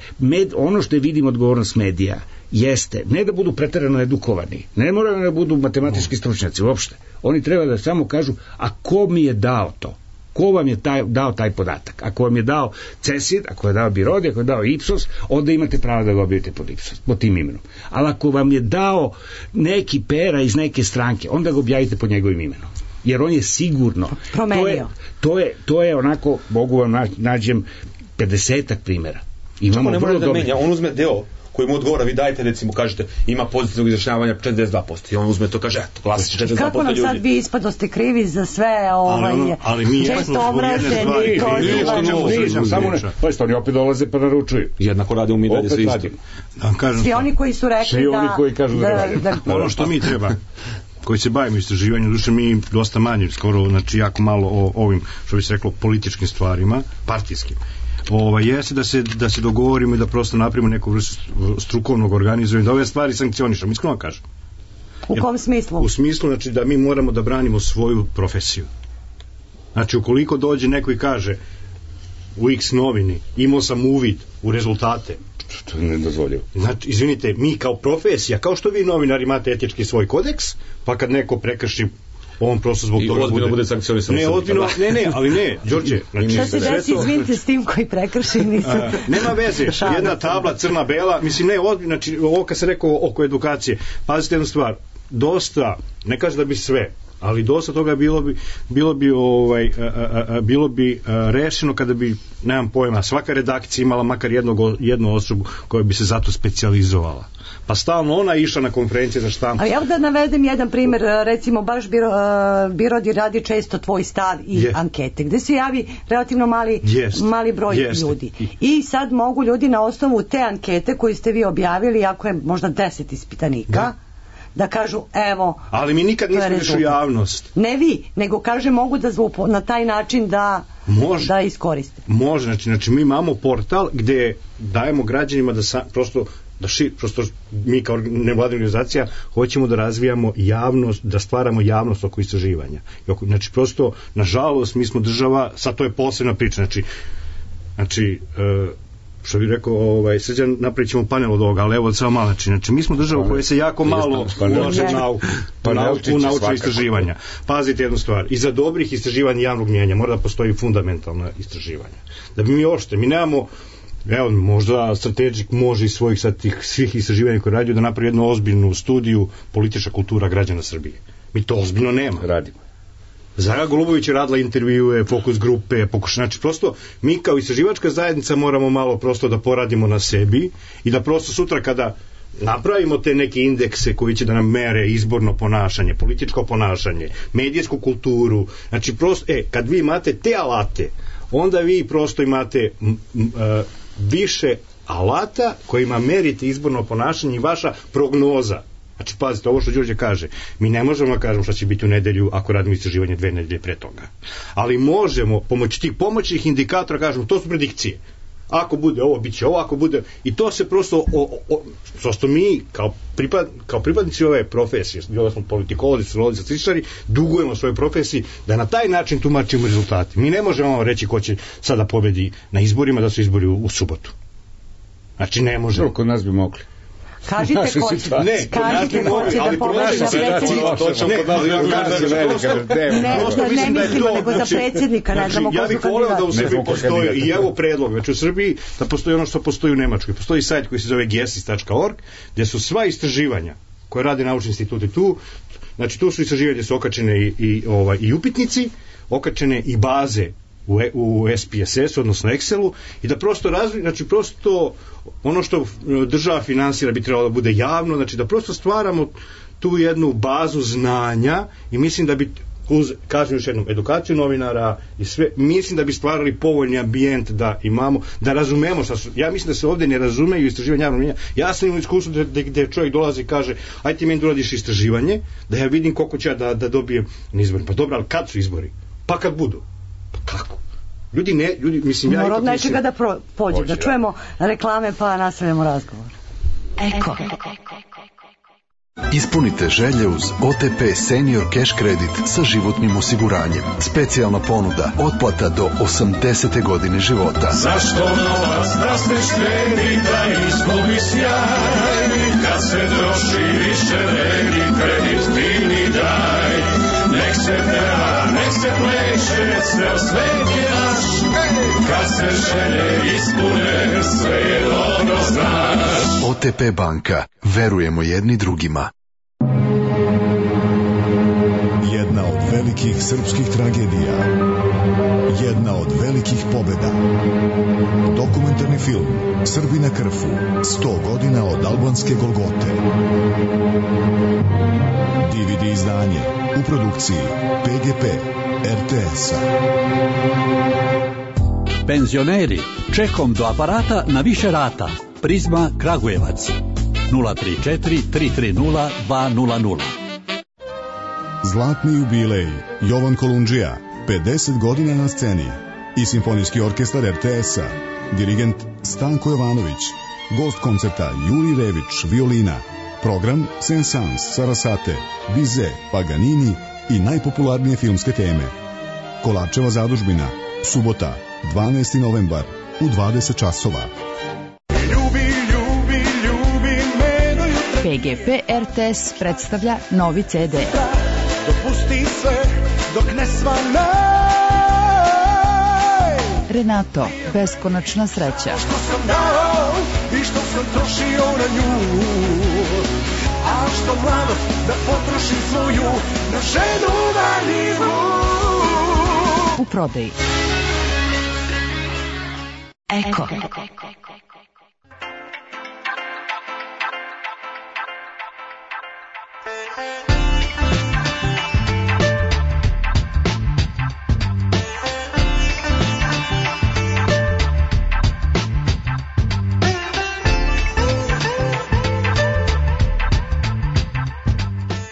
S9: ono što je vidim odgovornost medija jeste ne da budu preterano edukovani, ne moraju da budu matematički stručnjaci uopšte. Oni treba da samo kažu, a ko mi je dao to? Ko vam je dao taj podatak? Ako vam je dao CESID, ako je dao Birodi, ako je dao Ipsos, onda imate pravo da ga objavite pod tim imenom. Ali ako vam je dao neki pera iz neke stranke, onda ga objavite pod njegovim imenom. Jer on je sigurno
S5: promenio.
S9: To je onako, mogu vam nađem 50 primjera.
S10: Čemu ne može da menja? On uzme deo koji mu odgovara, vi dajte, recimo, kažete, ima pozitivnog izjašnjavanja 42% i on uzme to, kaže, eto, klasično 42% ljudi.
S5: Kako nam sad vi ispadoste krivi za sve često omraženi
S9: pa što oni opet dolaze pa naručuju.
S10: Jednako rade u mi dalje sve isto.
S5: Svi oni koji su rekli da...
S11: Ono što mi treba, koji se bavimo istraživanjem, duše mi dosta manje, skoro, znači jako malo o ovim, što bi se reklo, političkim stvarima, partijskim. Jeste da se dogovorimo i da prosto napravimo neku vrstu strukovnog organizovanja, da ove stvari sankcionišemo, iskreno kažem.
S5: U kom smislu?
S11: U smislu, znači, da mi moramo da branimo svoju profesiju. Znači, ukoliko dođe neko i kaže u X novini, imao sam uvid u rezultate,
S9: što ne dozvoljivo.
S11: Znači, izvinite, mi kao profesija, kao što vi novinari imate etički svoj kodeks, pa kad neko prekrši on prosto zbog toga
S10: bude sankcionisan.
S11: Ne, ozbiljno, ali ne, Đorđe. Znači,
S5: šta se desi, izvinite, s tim koji prekrši nisam.
S11: Nema veze, jedna tabla crna-bela, mislim, ne, ozbiljno, znači, ovo kad se rekao oko edukacije, pazite jednu stvar, dosta, ne kaže da bi sve, ali dosta toga bilo bi rešeno kada bi, nemam pojma, svaka redakcija imala makar jednu osobu koja bi se zato specijalizovala. Pa stalno ona išla na konferencije za štampu.
S5: Ali ja da navedem jedan primjer, recimo baš Birodi radi često tvoj stav i ankete, gde se javi relativno mali broj ljudi. I sad mogu ljudi na osnovu te ankete koju ste vi objavili, ako je možda 10 ispitanika, da kažu, evo...
S11: Ali mi nikad nismo išli javnost.
S5: Ne vi, nego kaže mogu da na taj način da iskoriste.
S11: Može, znači mi imamo portal gde dajemo građanima da prosto mi kao nevladina organizacija hoćemo da razvijamo javnost, da stvaramo javnost oko istraživanja. Znači prosto, nažalost, mi smo država, sad to je posebna priča, znači što bih rekao, Srđan, napravit ćemo panel od ovoga, ali evo samo malo, znači mi smo država koja se jako malo ulaže u naučne istraživanja. Pazite jednu stvar, iza dobrih istraživanja javnog mnjenja mora da postoji fundamentalna istraživanja. Da bi mi nemamo, evo, možda Strategic može iz svojih sad tih svih istraživanja koje radio da napravi jednu ozbiljnu studiju politička kultura građana Srbije. Mi to ozbiljno nema.
S9: Radimo.
S11: Zara Golubović je radila intervjue, fokus grupe, znači prosto mi kao istraživačka zajednica moramo malo prosto da poradimo na sebi i da prosto sutra kada napravimo te neke indekse koji će da nam mere izborno ponašanje, političko ponašanje, medijsku kulturu, znači prosto, kad vi imate te alate, onda vi prosto imate više alata kojima merite izborno ponašanje i vaša prognoza. Znači, pazite, ovo što Đorđe kaže, mi ne možemo da kažemo šta će biti u nedelju ako radimo istraživanje 2 nedelje pre toga. Ali možemo, pomoću tih pomoćnih indikatora, kažemo, to su predikcije. Ako bude ovo, bit će ovo, ako bude... I to se prosto mi, kao pripadnici ove profesije, bilo smo politikolozi, sociolozi, statističari, dugujemo svojoj profesiji da na taj način tumačimo rezultate. Mi ne možemo reći ko će sada pobedi na izborima, da su izbori u subotu. Znači, ne možemo.
S9: Kod nas bi mogli.
S5: Kažite ko će da pobedi za predsjednika. Ne mislimo nego za predsjednika, ne znamo ko su kandidati.
S11: Ja bih voleo da u Srbiji postoji, i evo predlog, znači u Srbiji da postoji ono što postoji u Nemačkoj. Postoji sajt koji se zove gesis.org, gdje su sva istraživanja koje rade naučni instituti tu, znači tu su istraživanja gdje su okačene i upitnici, okačene i baze u SPSS, odnosno Excelu, i da prosto znači prosto ono što država finansira bi trebalo da bude javno, znači da prosto stvaramo tu jednu bazu znanja i mislim da bi kažem još jednom, edukaciju novinara i sve, mislim da bi stvarali povoljni ambijent da imamo, da razumemo šta su, ja mislim da se ovdje ne razumeju istraživanja javnog mnjenja. Ja sam imao iskustvo gdje čovjek dolazi i kaže, ajde ti meni da uradiš istraživanje, da ja vidim koliko će da dobijem na izbori. Pa dobro, ali kad su izbori? Pa kad budu. Pa kako? Ljudi, mislim, ja...
S5: Mora od nečega da pođe, da čujemo reklame pa nastavljamo razgovor. Eko.
S12: Ispunite želje uz OTP Senior Cash Credit sa životnim osiguranjem. Specijalna ponuda, otplata do 80. godine života.
S13: Zašto novac da se štedi, da izgubi sjaj? Kad se troši više vredi, kredit fini daj. Nek se peva, nek se pleše, ceo svet je naš. Kad se želje ispune, sve je dobro znaš.
S12: OTP banka, verujemo jedni drugima.
S14: Jedna od velikih srpskih tragedija. Jedna od velikih pobjeda. Dokumentarni film Srbi na Krfu, 100 godina od albanske Golgote. DVD izdanje u produkciji PGP RTS-a.
S15: Penzioneri, čekom do aparata na više rata. Prizma Kragujevac 034 330 200.
S14: Zlatni jubilej Jovan Kolundžija, 50 godina na sceni i Simfonijski orkestar RTS-a, dirigent Stanko Jovanović, gost koncerta Juri Rević, violina, program Saint-Saëns, Sarasate, Bizet, Paganini i najpopularnije filmske teme. Kolarčeva zadužbina, subota, 12. novembar u 20 časova.
S16: PGP RTS predstavlja novi CD.
S7: dopusti sve dok ne svane.
S2: Renato, beskonačna sreća.
S7: Što sam dao i što sam trošio na nju, a što mladost da potrošim svoju na ženu valjivu.
S2: U prodaji. Eko.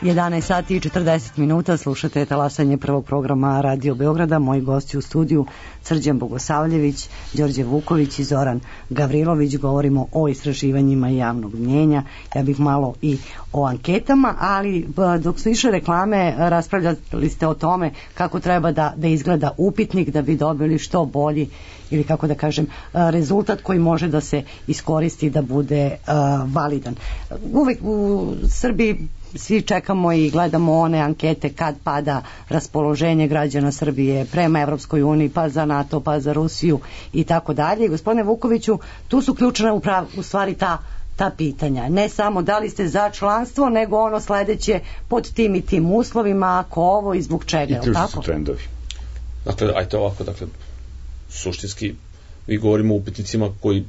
S5: 11 sati i 40 minuta, slušate talasanje prvog programa Radio Beograda. Moji gosti u studiju Srđan Bogosavljević, Đorđe Vuković i Zoran Gavrilović. Govorimo o istraživanjima javnog mnjenja. Ja bih malo i o anketama, ali dok su išle reklame raspravljali ste o tome kako treba da izgleda upitnik da bi dobili što bolji ili kako da kažem rezultat koji može da se iskoristi da bude validan. Uvijek u Srbiji svi čekamo i gledamo one ankete kad pada raspoloženje građana Srbije prema Evropskoj uniji, pa za NATO, pa za Rusiju i tako dalje. Gospodine Vukoviću, tu su ključna u stvari ta pitanja. Ne samo da li ste za članstvo, nego ono sledeće pod tim i tim uslovima, ako ovo i zbog čega.
S9: I tu su trendovi.
S10: Dakle, ajte ovako, suštinski vi govorimo o upitnicima koji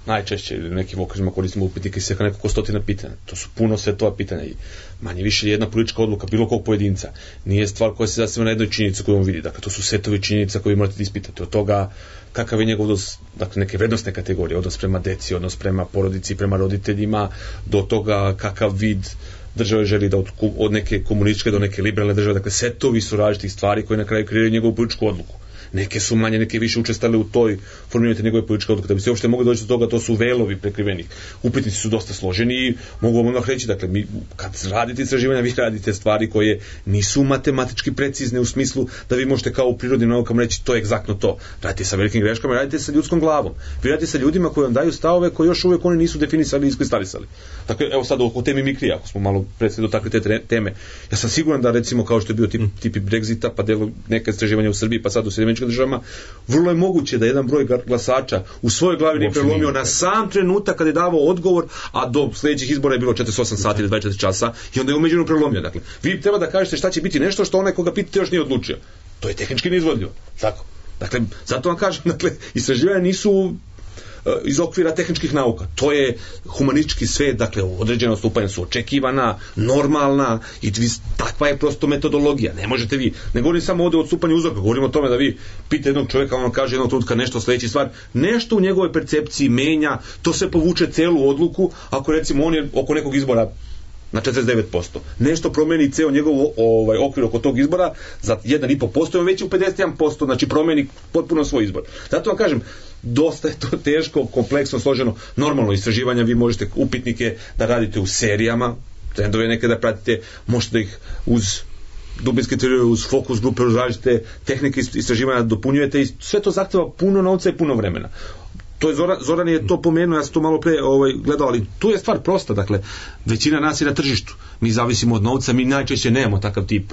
S10: najčešće ili nekim okružima koristimo upitnike i sveka nekoliko stotina pitanja. To su puno svetova pitanja i manje više jedna politička odluka bilo kog pojedinca nije stvar koja se zasniva na jednoj činjenici koju on vidi. Dakle, to su setovi činjenica koje vi morate da ispitate. Od toga kakav je njegov odnos, dakle neke vrednostne kategorije, odnos prema deci, odnos prema porodici, prema roditeljima, do toga kakav vid države želi da od neke komunističke do neke liberalne države. Dakle, setovi su različitih stvari koje na kraju kreiraju njegovu političku odluku. Neke su manje, neke više učestale u toj formiranju njegove političke odluke. Da bi se uopšte mogli doći do toga, to su velovi prekrivenih. Upitnici su dosta složeni i mogu vam odmah reći, dakle, kad radite istraživanja, vi radite stvari koje nisu matematički precizne u smislu da vi možete kao u prirodnim naukama reći to je egzaktno to. Radite sa velikim greškama, radite sa ljudskom glavom. Vi radite sa ljudima koji vam daju stavove koje još uvijek oni nisu definisali i iskristalisali. Dakle, evo sad o temi mikrija, ako smo malo predstavili dotakli te teme. Ja sam siguran da recimo kao što je bio tipi Brexita, pa delo neka istraživanja u Srbiji, pa sad u Sjedinjenim Državama, vrlo je moguće da jedan broj glasača u svojoj glavi nije prelomio na sam trenutak kada je davao odgovor, a do sljedećih izbora je bilo 48 sati ili 24 časa i onda je umeđuvremenu prelomio. Dakle, vi treba da kažete šta će biti nešto što onaj koga pitate još nije odlučio. To je tehnički neizvodljivo. Tako. Dakle, zato vam kažem, dakle, istraživanja nisu iz okvira tehničkih nauka. To je humanistički svet, dakle, određena stupanja su očekivana, normalna i takva je prosto metodologija. Ne možete vi, ne govorim samo ovdje o odstupanju uzorka, govorim o tome da vi pite jednog čovjeka, on kaže jednog trenutka nešto sljedeći stvar, nešto u njegovoj percepciji menja, to se povuče celu odluku, ako recimo on je oko nekog izbora na 49%. Nešto promeni ceo njegov okvir oko tog izbora za 1,5%, on već u 51%, znači promeni potpuno svoj izbor. Zato vam kažem, dosta je to teško, kompleksno, složeno. Normalno istraživanja, vi možete upitnike da radite u serijama, trendove neke da pratite, možete da ih uz dubinske teorije, uz fokus grupe, uz različite tehnike istraživanja dopunjujete i sve to zahteva puno novca i puno vremena. To je Zoran je to pomenuo, ja sam to malo pre gledao, ali tu je stvar prosta, dakle, većina nas je na tržištu, mi zavisimo od novca, mi najčešće nemamo takav tip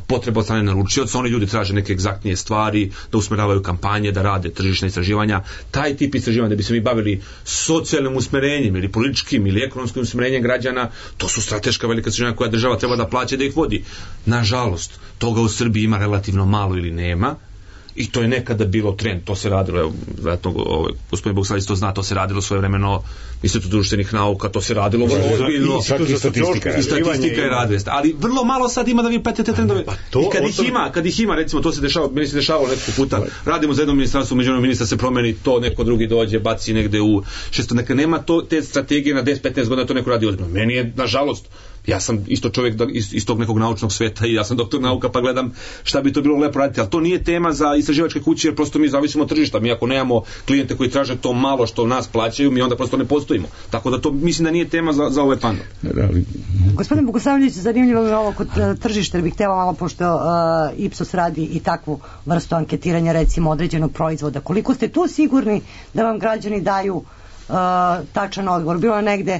S10: potreba od strane naručioca, oni ljudi traže neke egzaktnije stvari, da usmeravaju kampanje, da rade tržišna istraživanja, taj tip istraživanja da bi se mi bavili socijalnim usmerenjem ili političkim ili ekonomskim usmerenjem građana, to su strateška velika istraživanja koja država treba da plaća da ih vodi. Nažalost, toga u Srbiji ima relativno malo ili nema. I to je nekada bilo trend, to se radilo, evo, vjerojatno, gospodin Bogosavljević to zna, to se radilo svojevremeno Institut društvenih nauka, to se radilo vrlo ozbiljno. I statistika je radila. Ali vrlo malo sad ima da vi pratite trendove. I kad ih ima, recimo, to se dešava, meni se dešavalo nekako puta, radimo za jedno ministarstvo, međunarodnog ministra se promeni, to neko drugi dođe, baci negde u šesto, neka nema to, te strategije na 10-15 godina, to neko radi ozbiljno. Meni je, nažalost, ja sam isto čovjek iz tog nekog naučnog sveta i ja sam doktor nauka pa gledam šta bi to bilo lepo raditi, ali to nije tema za istraživačke kuće jer prosto mi zavisimo od tržišta. Mi ako nemamo klijente koji traže to malo što nas plaćaju, mi onda prosto ne postojimo. Tako da to mislim da nije tema za ovaj panel.
S5: Gospodin Bogosavljević, zanimljivo je ovo kod tržišta, jer bih htjela malo, pošto Ipsos radi i takvu vrstu anketiranja, recimo određenog proizvoda. Koliko ste tu sigurni da vam građani daju tačan odgovor? Bilo je negde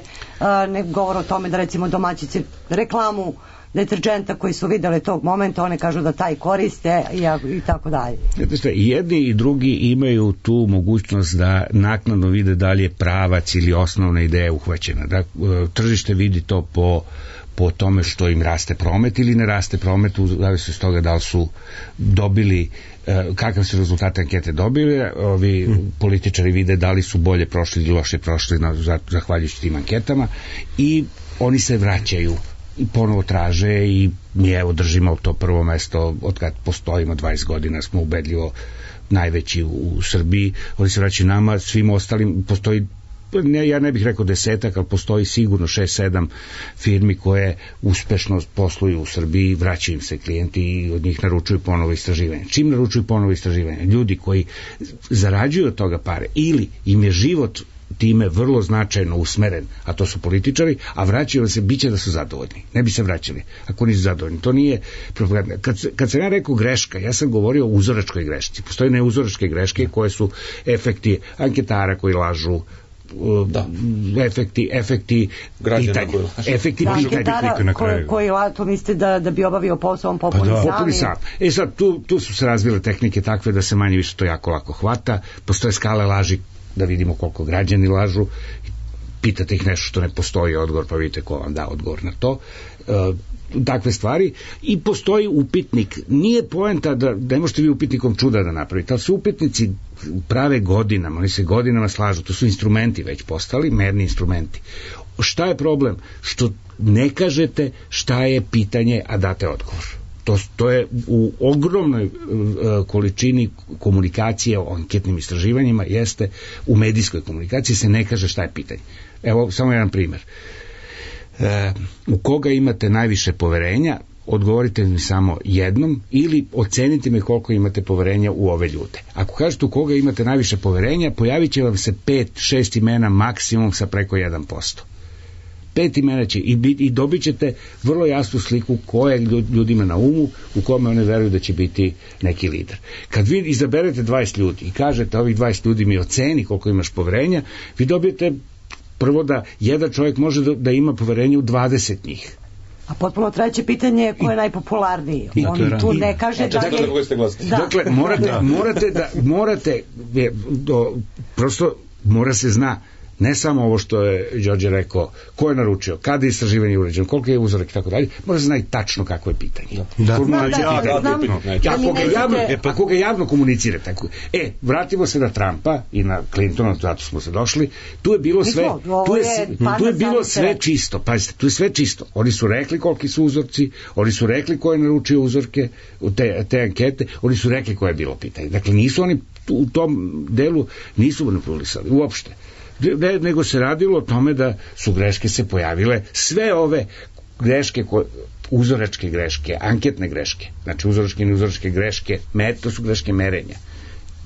S5: govor o tome da recimo domaćice reklamu deterdženta koji su videli tog momenta, one kažu da taj koriste i tako dalje.
S9: I jedni i drugi imaju tu mogućnost da naknadno vide da li je pravac ili osnovna ideja uhvaćena. Da, tržište vidi to po tome što im raste promet ili ne raste promet, u zavisnosti od toga da li su dobili, kakav su rezultate ankete dobili. Ovi političari vide da li su bolje prošli ili loše prošli zahvaljujući tim anketama i oni se vraćaju i ponovo traže i mi evo držimo to prvo mesto od kad postojimo 20 godina, smo ubedljivo najveći u Srbiji. Oni se vraćaju nama, svim ostalim postoji, ja ne bih rekao 10, ali postoji sigurno 6-7 firmi koje uspešno posluju u Srbiji, vraćaju im se klijenti i od njih naručuju ponovo istraživanje. Čim naručuju ponovo istraživanje? Ljudi koji zarađuju od toga pare ili im je život time vrlo značajno usmeren, a to su političari, a vraćaju se, bit će da su zadovoljni. Ne bi se vraćali ako nisu zadovoljni. To nije propaganda. Kad sam ja rekao greška, ja sam govorio o uzoračkoj grešci. Postoje neuzoračke greške koje su efekti anketara koji lažu, efekti pitanja. Efekti pitanja.
S5: Koji to mislite da bi obavio posao, on popuni sam.
S9: Sad, tu su se razvile tehnike takve da se manje više to jako lako hvata. Postoje skale laži da vidimo koliko građani lažu, pitate ih nešto što ne postoji odgovor, pa vidite ko vam da odgovor na to, takve stvari. I postoji upitnik, nije poenta da ne možete vi upitnikom čuda da napravite, ali su upitnici prave godinama, oni se godinama slažu, to su instrumenti već postali, merni instrumenti. Šta je problem? Što ne kažete šta je pitanje, a date odgovor. To je u ogromnoj količini komunikacije o anketnim istraživanjima, jeste u medijskoj komunikaciji se ne kaže šta je pitanje. Evo samo jedan primjer. U koga imate najviše poverenja, odgovorite mi samo jednom ili ocenite mi koliko imate poverenja u ove ljude. Ako kažete u koga imate najviše poverenja, pojavit će vam se 5-6 imena maksimum sa preko 1%. 5 imena će i dobit ćete vrlo jasnu sliku koje ljudima na umu, u kome one veruju da će biti neki lider. Kad vi izaberete 20 ljudi i kažete ovih 20 ljudi mi oceni koliko imaš poverenja, vi dobijete prvo da jedan čovjek može da ima poverenje u 20 njih.
S5: A potpuno treće pitanje je ko je najpopularniji. On tu ne kaže da je...
S9: Dakle, morate prosto mora se zna ne samo ovo što je Đorđe rekao, ko je naručio, kada je istraživanje urađeno, koliko je uzorak i tako dalje, mora se zna i tačno kako je pitanje. Ako ga javno komunicirate. Vratimo se na Trumpa i na Clintona, zato smo se došli, tu je bilo sve čisto. Pazite, tu je sve čisto. Oni su rekli koliki su uzorci, oni su rekli ko je naručio uzorke, te ankete, oni su rekli koje je bilo pitanje. Dakle, nisu oni u tom delu nisu manipulisali uopšte. Nego se radilo o tome da su greške se pojavile, sve ove greške, uzoračke greške, anketne greške, znači uzoračke i neuzoročke greške, to su greške merenja.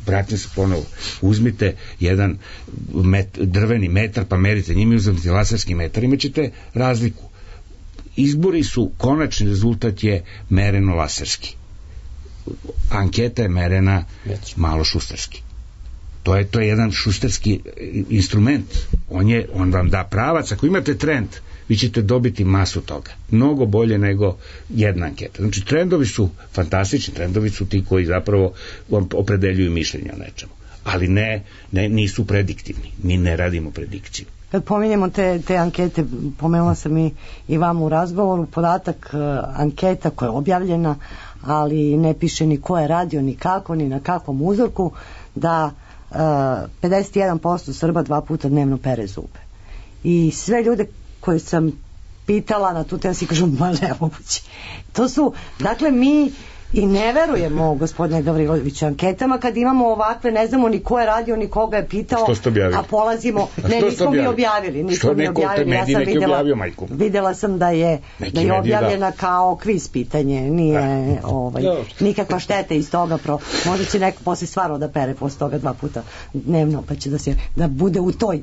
S9: Vratim se ponovo, uzmite jedan drveni metar pa merite njime, uzmite laserski metar, imat ćete razliku. Izbori su, konačni rezultat je mereno laserski. Anketa je merena malo šustarski. To je jedan šusterski instrument. On vam da pravac. Ako imate trend, vi ćete dobiti masu toga. Mnogo bolje nego jedna anketa. Znači, trendovi su fantastični, trendovi su ti koji zapravo vam opredeljuju mišljenje o nečemu. Ali nisu prediktivni. Mi ne radimo predikciju.
S5: Kad pominjemo te ankete, pomenula sam i vam u razgovoru, podatak anketa koja je objavljena, ali ne piše ni ko je radio, ni kako, ni na kakvom uzorku, da 51% Srba 2 puta dnevno pere zube. I sve ljude koje sam pitala na tu temu si kažu, ma nemoguće. To su, dakle, mi i ne verujemo, gospodine Gavriloviću, anketama kad imamo ovakve, ne znamo ni ko je radio, ni koga je pitao, a polazimo, nismo mi objavili, videla sam da je objavljena kao kviz pitanje, nije nikakva šteta iz toga, možda će neko posle stvarno da pere posle toga 2 puta dnevno, pa će da bude u tom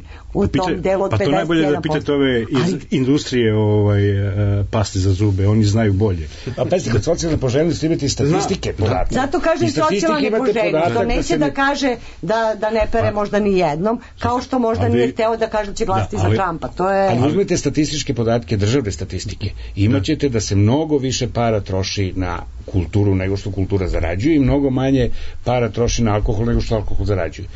S5: delu od 51%.
S11: Pa to najbolje da pitate ove iz industrije pasti za zube, oni znaju bolje.
S9: A pazite, kod socijalne poželjnosti imate statistike podatke.
S5: Zato kaže socijalne poželjnost, to neće da kaže da ne pere možda ni jednom, kao što možda nije hteo da kaže da će glasiti za Trumpa.
S9: Ali uzmete statističke podatke, državne statistike, imaćete da se mnogo više para troši na kulturu nego što kultura zarađuje i mnogo manje para troši na alkohol nego što alkohol zarađuje.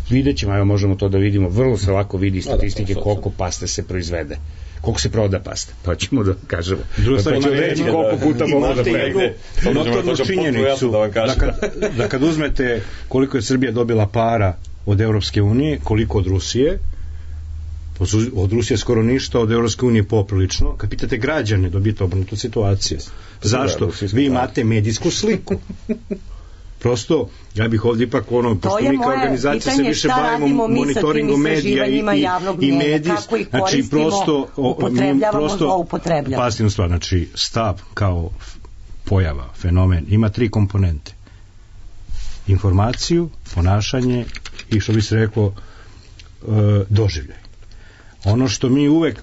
S9: Vidjet ćemo, evo možemo to da vidimo, vrlo se lako vidi statistike koliko paste se proizvede, koliko se proda paste, pa ćemo da kažemo.
S11: Pa ćemo reći koliko puta mogu da prejde. Notornu činjenicu da kad uzmete koliko je Srbija dobila para od Evropske unije, koliko od Rusije, od Rusije skoro ništa, od Evropske unije poprilično. Kad pitate građane, dobijete obrnutu situaciju. Zašto? Vi imate medijsku sliku. Prosto, ja bih ovdje ipak pošto mi kao organizacija se više bavimo monitoringom medija i medij, znači prosto pasivnu stvar, znači stav kao pojava, fenomen, ima 3 komponente. Informaciju, ponašanje i što bi se reklo doživljaj. Ono što mi uvek,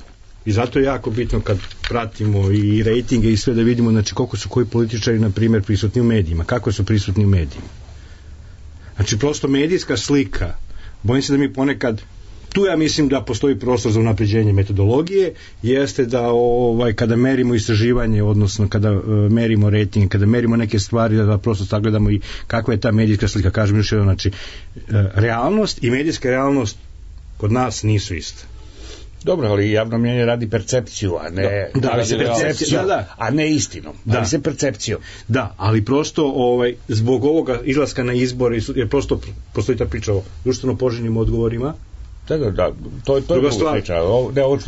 S11: i zato je jako bitno kad pratimo i rejtinge i sve da vidimo, znači koliko su koji političari na primjer prisutni u medijima, kako su prisutni u medijima. Znači prosto medijska slika, bojim se da mi ponekad, tu ja mislim da postoji prostor za unapređenje metodologije, jeste da kada merimo istraživanje, odnosno kada merimo rejting, kada merimo neke stvari, da prosto sagledamo i kakva je ta medijska slika. Kažem još jedno, znači realnost i medijska realnost kod nas nisu iste.
S9: Dobro, ali javno mnjenje radi percepciju, a ne a ne istinom. Ali se percepcijom.
S11: Da, ali prosto zbog ovoga izlaska na izbore, jer prosto postoji ta priča o društveno poželjnim odgovorima.
S9: Da, to je druga stvar.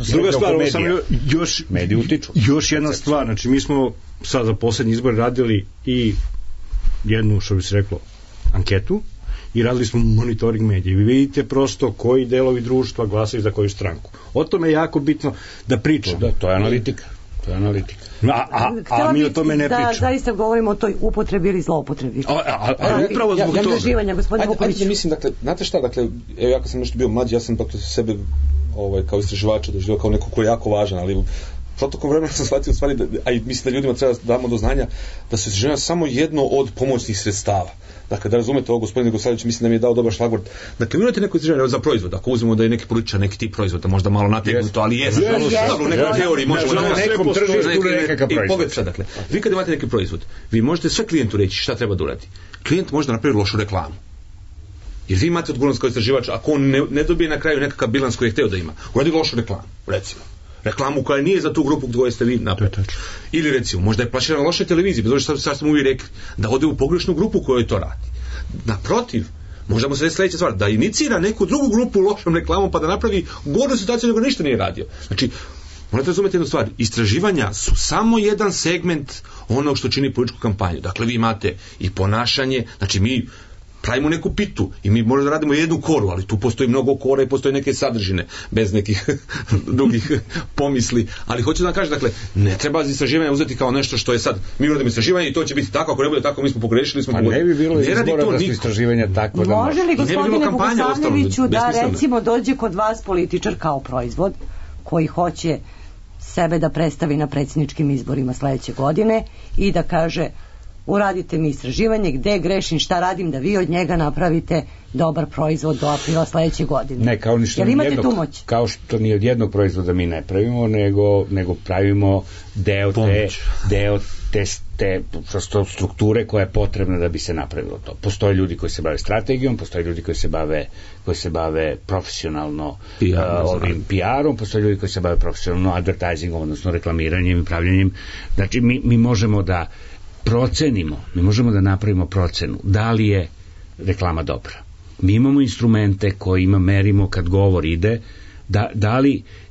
S11: Druga stvar, još jedna stvar, znači mi smo sad za poslednji izbor radili i jednu, što bi se reklo, anketu, i radili smo monitoring medija. Vi vidite prosto koji delovi društva glasaju za koju stranku. O tome je jako bitno da pričamo.
S9: To je analitika.
S11: A mi o tome ne pričamo.
S5: Da, zaista govorimo o toj upotrebi ili zloupotrebi.
S11: Upravo zbog toga.
S5: Angaživanja, gospodine Vuković.
S10: Ajde, mislim, dakle, znate šta, dakle, evo ja kad sam nešto bio mlađi, ja sam dakle sebe kao istraživača doživio kao neko ko je jako važan, ali protokom vremena sam shvatio u stvari, a i mislim da ljudima treba damo do znanja da se istraživanja samo jedno od pomoćnih sredstava. Dakle, da razumete ovo, gospodin Gosavljević mislim da mi je dao dobar šlagvord. Dakle, vi imate neko istraživanje za proizvod, ako uzmemo da je neki političar, neki tip proizvoda, možda malo nategnuto, ali je u nekoj teoriji možemo na nekom tržištu nekakav proizvod. I pogledajte sad, dakle, vi kad imate neki proizvod, vi možete sve klijentu reći šta treba da uradi. Klijent može napraviti lošu reklamu. Jer vi imate odgovornost kao istraživač, ako on ne dobije na kraju nekakav bilans koji je hteo da ima, uradi lošu reklamu, recimo. Reklamu koja nije za tu grupu koju ste vi napravili. Ili recimo, možda je plasirana loša televizija, bez obzira što smo uvijek rekli, da ode u pogrešnu grupu kojoj to radi. Naprotiv, možda mu se reći sljedeća stvar, da inicira neku drugu grupu lošom reklamom pa da napravi goru situaciju nego ništa nije radio. Znači, morate razumjeti jednu stvar, istraživanja su samo jedan segment onog što čini političku kampanju. Dakle, vi imate i ponašanje, znači mi pravimo neku pitu i mi možemo da radimo jednu koru, ali tu postoji mnogo kora i postoji neke sadržine bez nekih drugih pomisli, ali hoću da vam kažem, dakle, ne treba istraživanje uzeti kao nešto što je sad, mi uradimo istraživanje i to će biti tako, ako ne bude tako, mi smo pogrešili, smo
S9: ne bi bilo izbora da su istraživanja tako da
S5: može li gospodine Bogosavljeviću da recimo dođe kod vas političar kao proizvod koji hoće sebe da predstavi na predsjedničkim izborima sledeće godine i da kaže uradite mi istraživanje, gde grešim, šta radim, da vi od njega napravite dobar proizvod do aprila sledeće godine.
S9: Ne, kao što ni od jednog proizvoda mi ne pravimo, nego pravimo deo te strukture koja je potrebna da bi se napravilo to. Postoje ljudi koji se bave strategijom, postoje ljudi koji se bave profesionalno ovim PR-om, postoje ljudi koji se bave profesionalno advertisingom, odnosno reklamiranjem i pravljanjem. Znači, mi možemo da procenimo, mi možemo da napravimo procenu da li je reklama dobra. Mi imamo instrumente kojima merimo kad govor ide,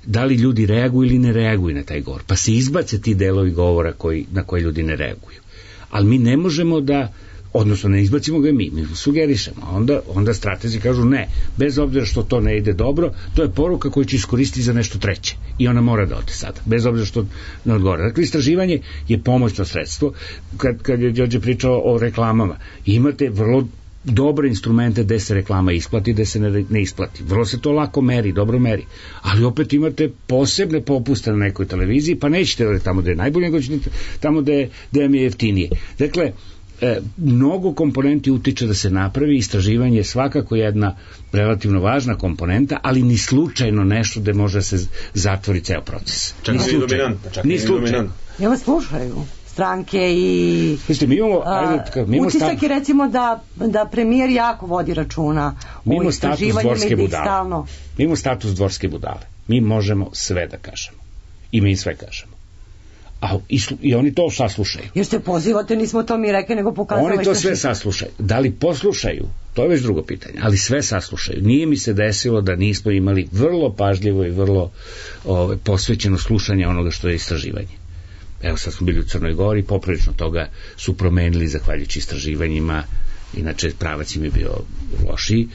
S9: da li ljudi reaguju ili ne reaguju na taj govor. Pa se izbace ti delovi govora na koje ljudi ne reaguju. Ali mi ne možemo da, odnosno ne izbacimo ga mi sugerišemo. Onda stratezi kažu ne, bez obzira što to ne ide dobro, to je poruka koju će iskoristiti za nešto treće. I ona mora da ode sada, bez obzira što ne odgovara. Dakle, istraživanje je pomoćno sredstvo. Kad je Đorđe pričao o reklamama, imate vrlo dobre instrumente gde se reklama isplati, gde se ne isplati. Vrlo se to lako meri, dobro meri. Ali opet imate posebne popuste na nekoj televiziji, pa nećete da tamo gde je najbolje, nego ćete tamo gde je jeftinije. Dakle, mnogo komponenti utiče da se napravi, istraživanje je svakako jedna relativno važna komponenta, ali ni slučajno nešto da može se zatvori ceo proces.
S10: Čak ni dominantna.
S5: Ja vas slušaju stranke i utisak je recimo da premijer jako vodi računa o istraživanju i stalno.
S9: Mi imamo status dvorske budale. Mi možemo sve da kažemo. I mi sve kažemo. I oni to saslušaju.
S5: Jer se pozivate, nismo to mi rekli, nego pokazali.
S9: Oni to sve saslušaju. Da li poslušaju, to je već drugo pitanje, ali sve saslušaju. Nije mi se desilo da nismo imali vrlo pažljivo i vrlo posvećeno slušanje onoga što je istraživanje. Evo sad smo bili u Crnoj Gori, poprilično toga su promenili zahvaljujući istraživanjima, inače pravac im je bio lošiji.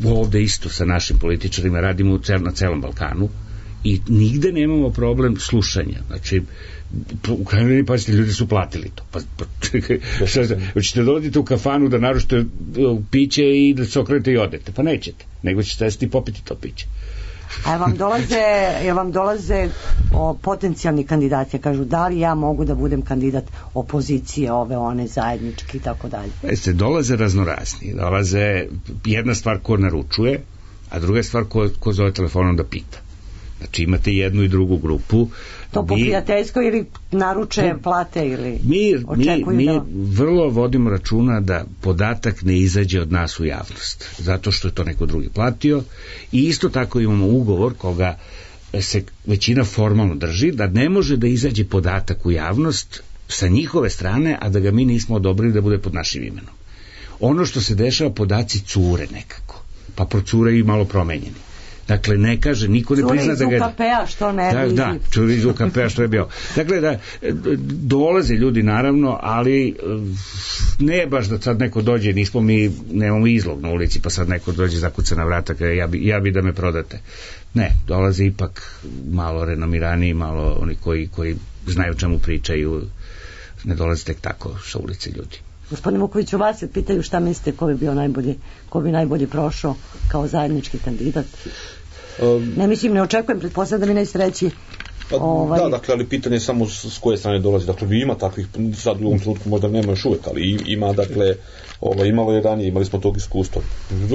S9: Ovde isto sa našim političarima radimo na celom Balkanu i nigde nemamo problem slušanja. Znači, u krajnjoj liniji, pazite, ljudi su platili to. Hoćete dolazite u kafanu da naručite piće i da se okrenete i odete. Pa nećete, nego ćete sesti i popiti to piće.
S5: A vam dolaze potencijalni kandidati, kažu da li ja mogu da budem kandidat opozicije, ove, one, zajednički i tako dalje.
S9: Dolaze raznorazni. Dolaze jedna stvar ko naručuje, a druga stvar ko zove telefonom da pita. Znači imate jednu i drugu grupu.
S5: To po prijateljskoj ili naruče, plate ili očekuju
S9: mi vrlo vodimo računa da podatak ne izađe od nas u javnost, zato što je to neko drugi platio, i isto tako imamo ugovor koga se većina formalno drži, da ne može da izađe podatak u javnost sa njihove strane, a da ga mi nismo odobrili da bude pod našim imenom. Ono što se dešava, podaci cure nekako, pa procure i malo promenjeni. Dakle, ne kaže, niko ne prizna da ga...
S5: Cure iz UKP-a, što ne bi...
S9: Da, cure iz UKP-a, što je bio. Dakle, da, dolaze ljudi, naravno, ali ne baš da sad neko dođe, nemamo izlog na ulici, pa sad neko dođe, zakuca na vrata, kada ja bi da me prodate. Ne, dolaze ipak malo renomiraniji, malo oni koji znaju o čemu pričaju, ne dolaze tek tako sa ulice ljudi.
S5: Gospodine Vukoviću, vas se pitaju šta mislite ko bi najbolje prošao kao zajednički kandidat. Ne očekujem, pretpostavljam da mi nećete reći.
S10: Da, dakle, ali pitanje je samo s koje strane dolazi. Dakle, ima takvih, sad u ovom trenutku možda nema još uvek, ali ima, dakle, imalo je ranije, imali smo tog iskustva.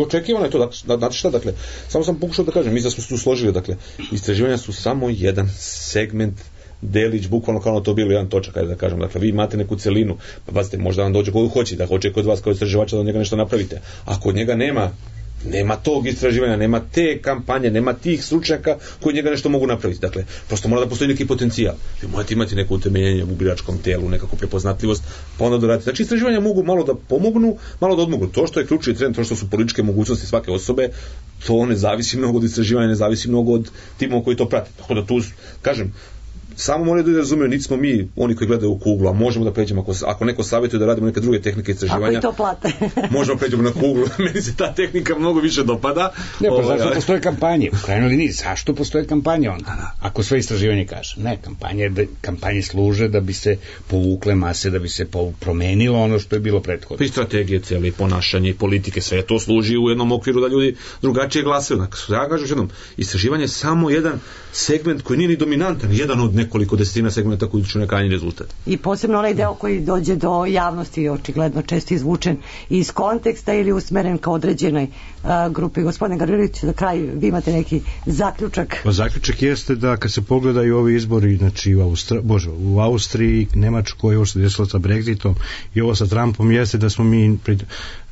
S10: Očekivano je to, znate šta, dakle, samo sam pokušao da kažem, mi da smo se tu složili, dakle, istraživanja su samo jedan segment, delić, bukvalno kao to bilo jedan točak, da kažem, dakle, vi imate neku celinu, pa pazite, možda vam dođe koju hoće, da hoće kod vas kao istraživača da od njega nešto napravite, a kod njega nema tog istraživanja, nema te kampanje, nema tih stručnjaka koji njega nešto mogu napraviti. Dakle, prosto mora da postoji neki potencijal. Vi morate imati neko utemeljenje u biračkom telu, nekakvu prepoznatljivost, pa onda doraditi. Znači, istraživanja mogu malo da pomognu, malo da odmognu. To što je ključni trend, to što su političke mogućnosti svake osobe, to ne zavisi mnogo od istraživanja, ne zavisi mnogo od timova koji to prate. Tako da tu, kažem, samo moraju da razumiju, niti smo mi oni koji gledaju u kuglu, a možemo da pređemo, ako neko savjetuje da radimo neke druge tehnike istraživanja,
S5: ako i to plate,
S10: možemo pređemo na kuglu. Meni se ta tehnika mnogo više dopada.
S9: Ne, pa zašto postoje kampanje? U krajnjoj liniji, zašto postoje kampanje onda? Ako sve istraživanje kaže. Ne, kampanje služe da bi se povukle mase, da bi se promenilo ono što je bilo prethodno.
S10: I strategije cijele, ponašanje i politike, sve to služi u jednom okviru da ljudi drugačije glasaju. Ja kažem jednom, istraživanje je samo jedan segment koji nije ni dominantan, jedan od nekoliko desetina segmenta koji će krajnji rezultat.
S5: I posebno onaj deo koji dođe do javnosti, očigledno često izvučen iz konteksta ili usmeren ka određenoj grupi. Gospodine Gavrilović, za kraj vi imate neki zaključak?
S11: Pa zaključak jeste da kad se pogledaju ovi izbori, znači u Austriji, Nemačkoj, ovo se desilo sa Brexitom i ovo sa Trumpom, jeste da smo mi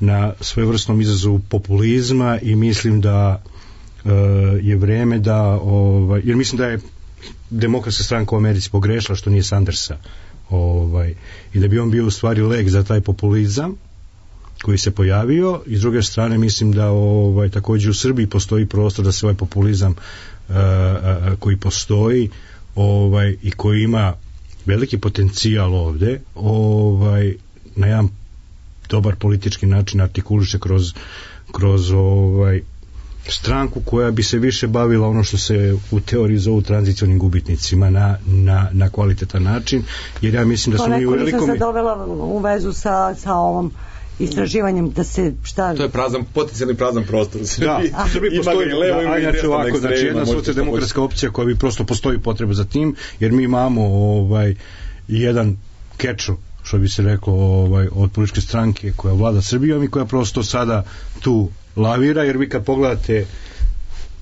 S11: na svojevrsnom izazovu populizma i mislim da je vreme da jer mislim da je Demokratska stranka u Americi pogrešila što nije Sandersa i da bi on bio u stvari lek za taj populizam koji se pojavio, i s druge strane mislim da također u Srbiji postoji prostor da se ovaj populizam koji postoji i koji ima veliki potencijal ovde na jedan dobar politički način artikuliše kroz stranku koja bi se više bavila ono što se u teoriji zovu tranzicionim gubitnicima na kvalitetan način, jer ja mislim da smo mi u velikom...
S5: To neko nisam se dovela u vezu sa ovom istraživanjem da se
S10: to je potencijalni prazan prostor.
S11: Da, u Srbiji postoji jedna socijaldemokratska opcija koja bi prosto postoji potreba za tim, jer mi imamo jedan kečo što bi se reklo, od političke stranke koja vlada Srbijom i koja prosto sada tu lavira, jer vi kad pogledate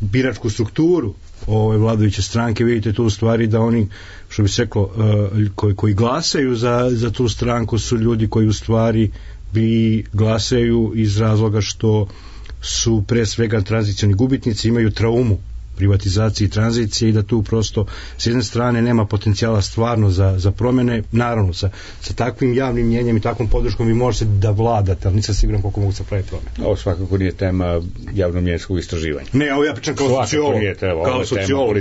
S11: biračku strukturu ove vladajuće stranke, vidite tu u stvari da oni, što bi se reklo, koji glasaju za tu stranku su ljudi koji u stvari glasaju iz razloga što su pre svega tranzicioni gubitnici, imaju traumu privatizacije i tranzicije i da tu prosto s jedne strane nema potencijala stvarno za promene. Naravno sa takvim javnim mnjenjem i takvom podrškom vi možete da vladate, ali nisam siguran koliko mogu se pravi promene.
S9: Ovo svakako nije tema javnomnjenskog istraživanja.
S11: Ne, ovo ja pričam kao sociolog,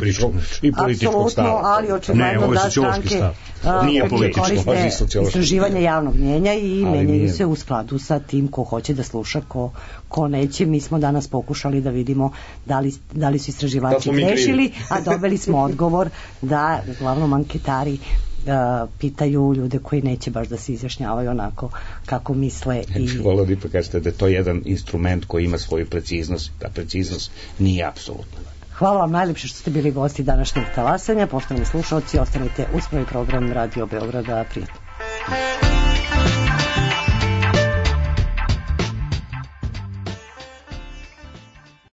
S11: i političkog stava.
S5: Apsolutno, ali očigledno da stranke koriste istraživanje javnog mnjenja i menjaju se u skladu sa tim ko hoće da sluša, ko neće. Mi smo danas pokušali da vidimo da li su istraživači grešili, a dobili smo odgovor da uglavnom anketari pitaju ljude koji neće baš da se izjašnjavaju onako kako misle.
S9: Volio da ipak kažete da je to jedan instrument koji ima svoju preciznost, ta preciznost nije apsolutna.
S5: Hvala vam najlepše što ste bili gosti današnjeg talasanja. Poštovani slušalci, ostanite uz prvi program Radio Beograda. Prijatno.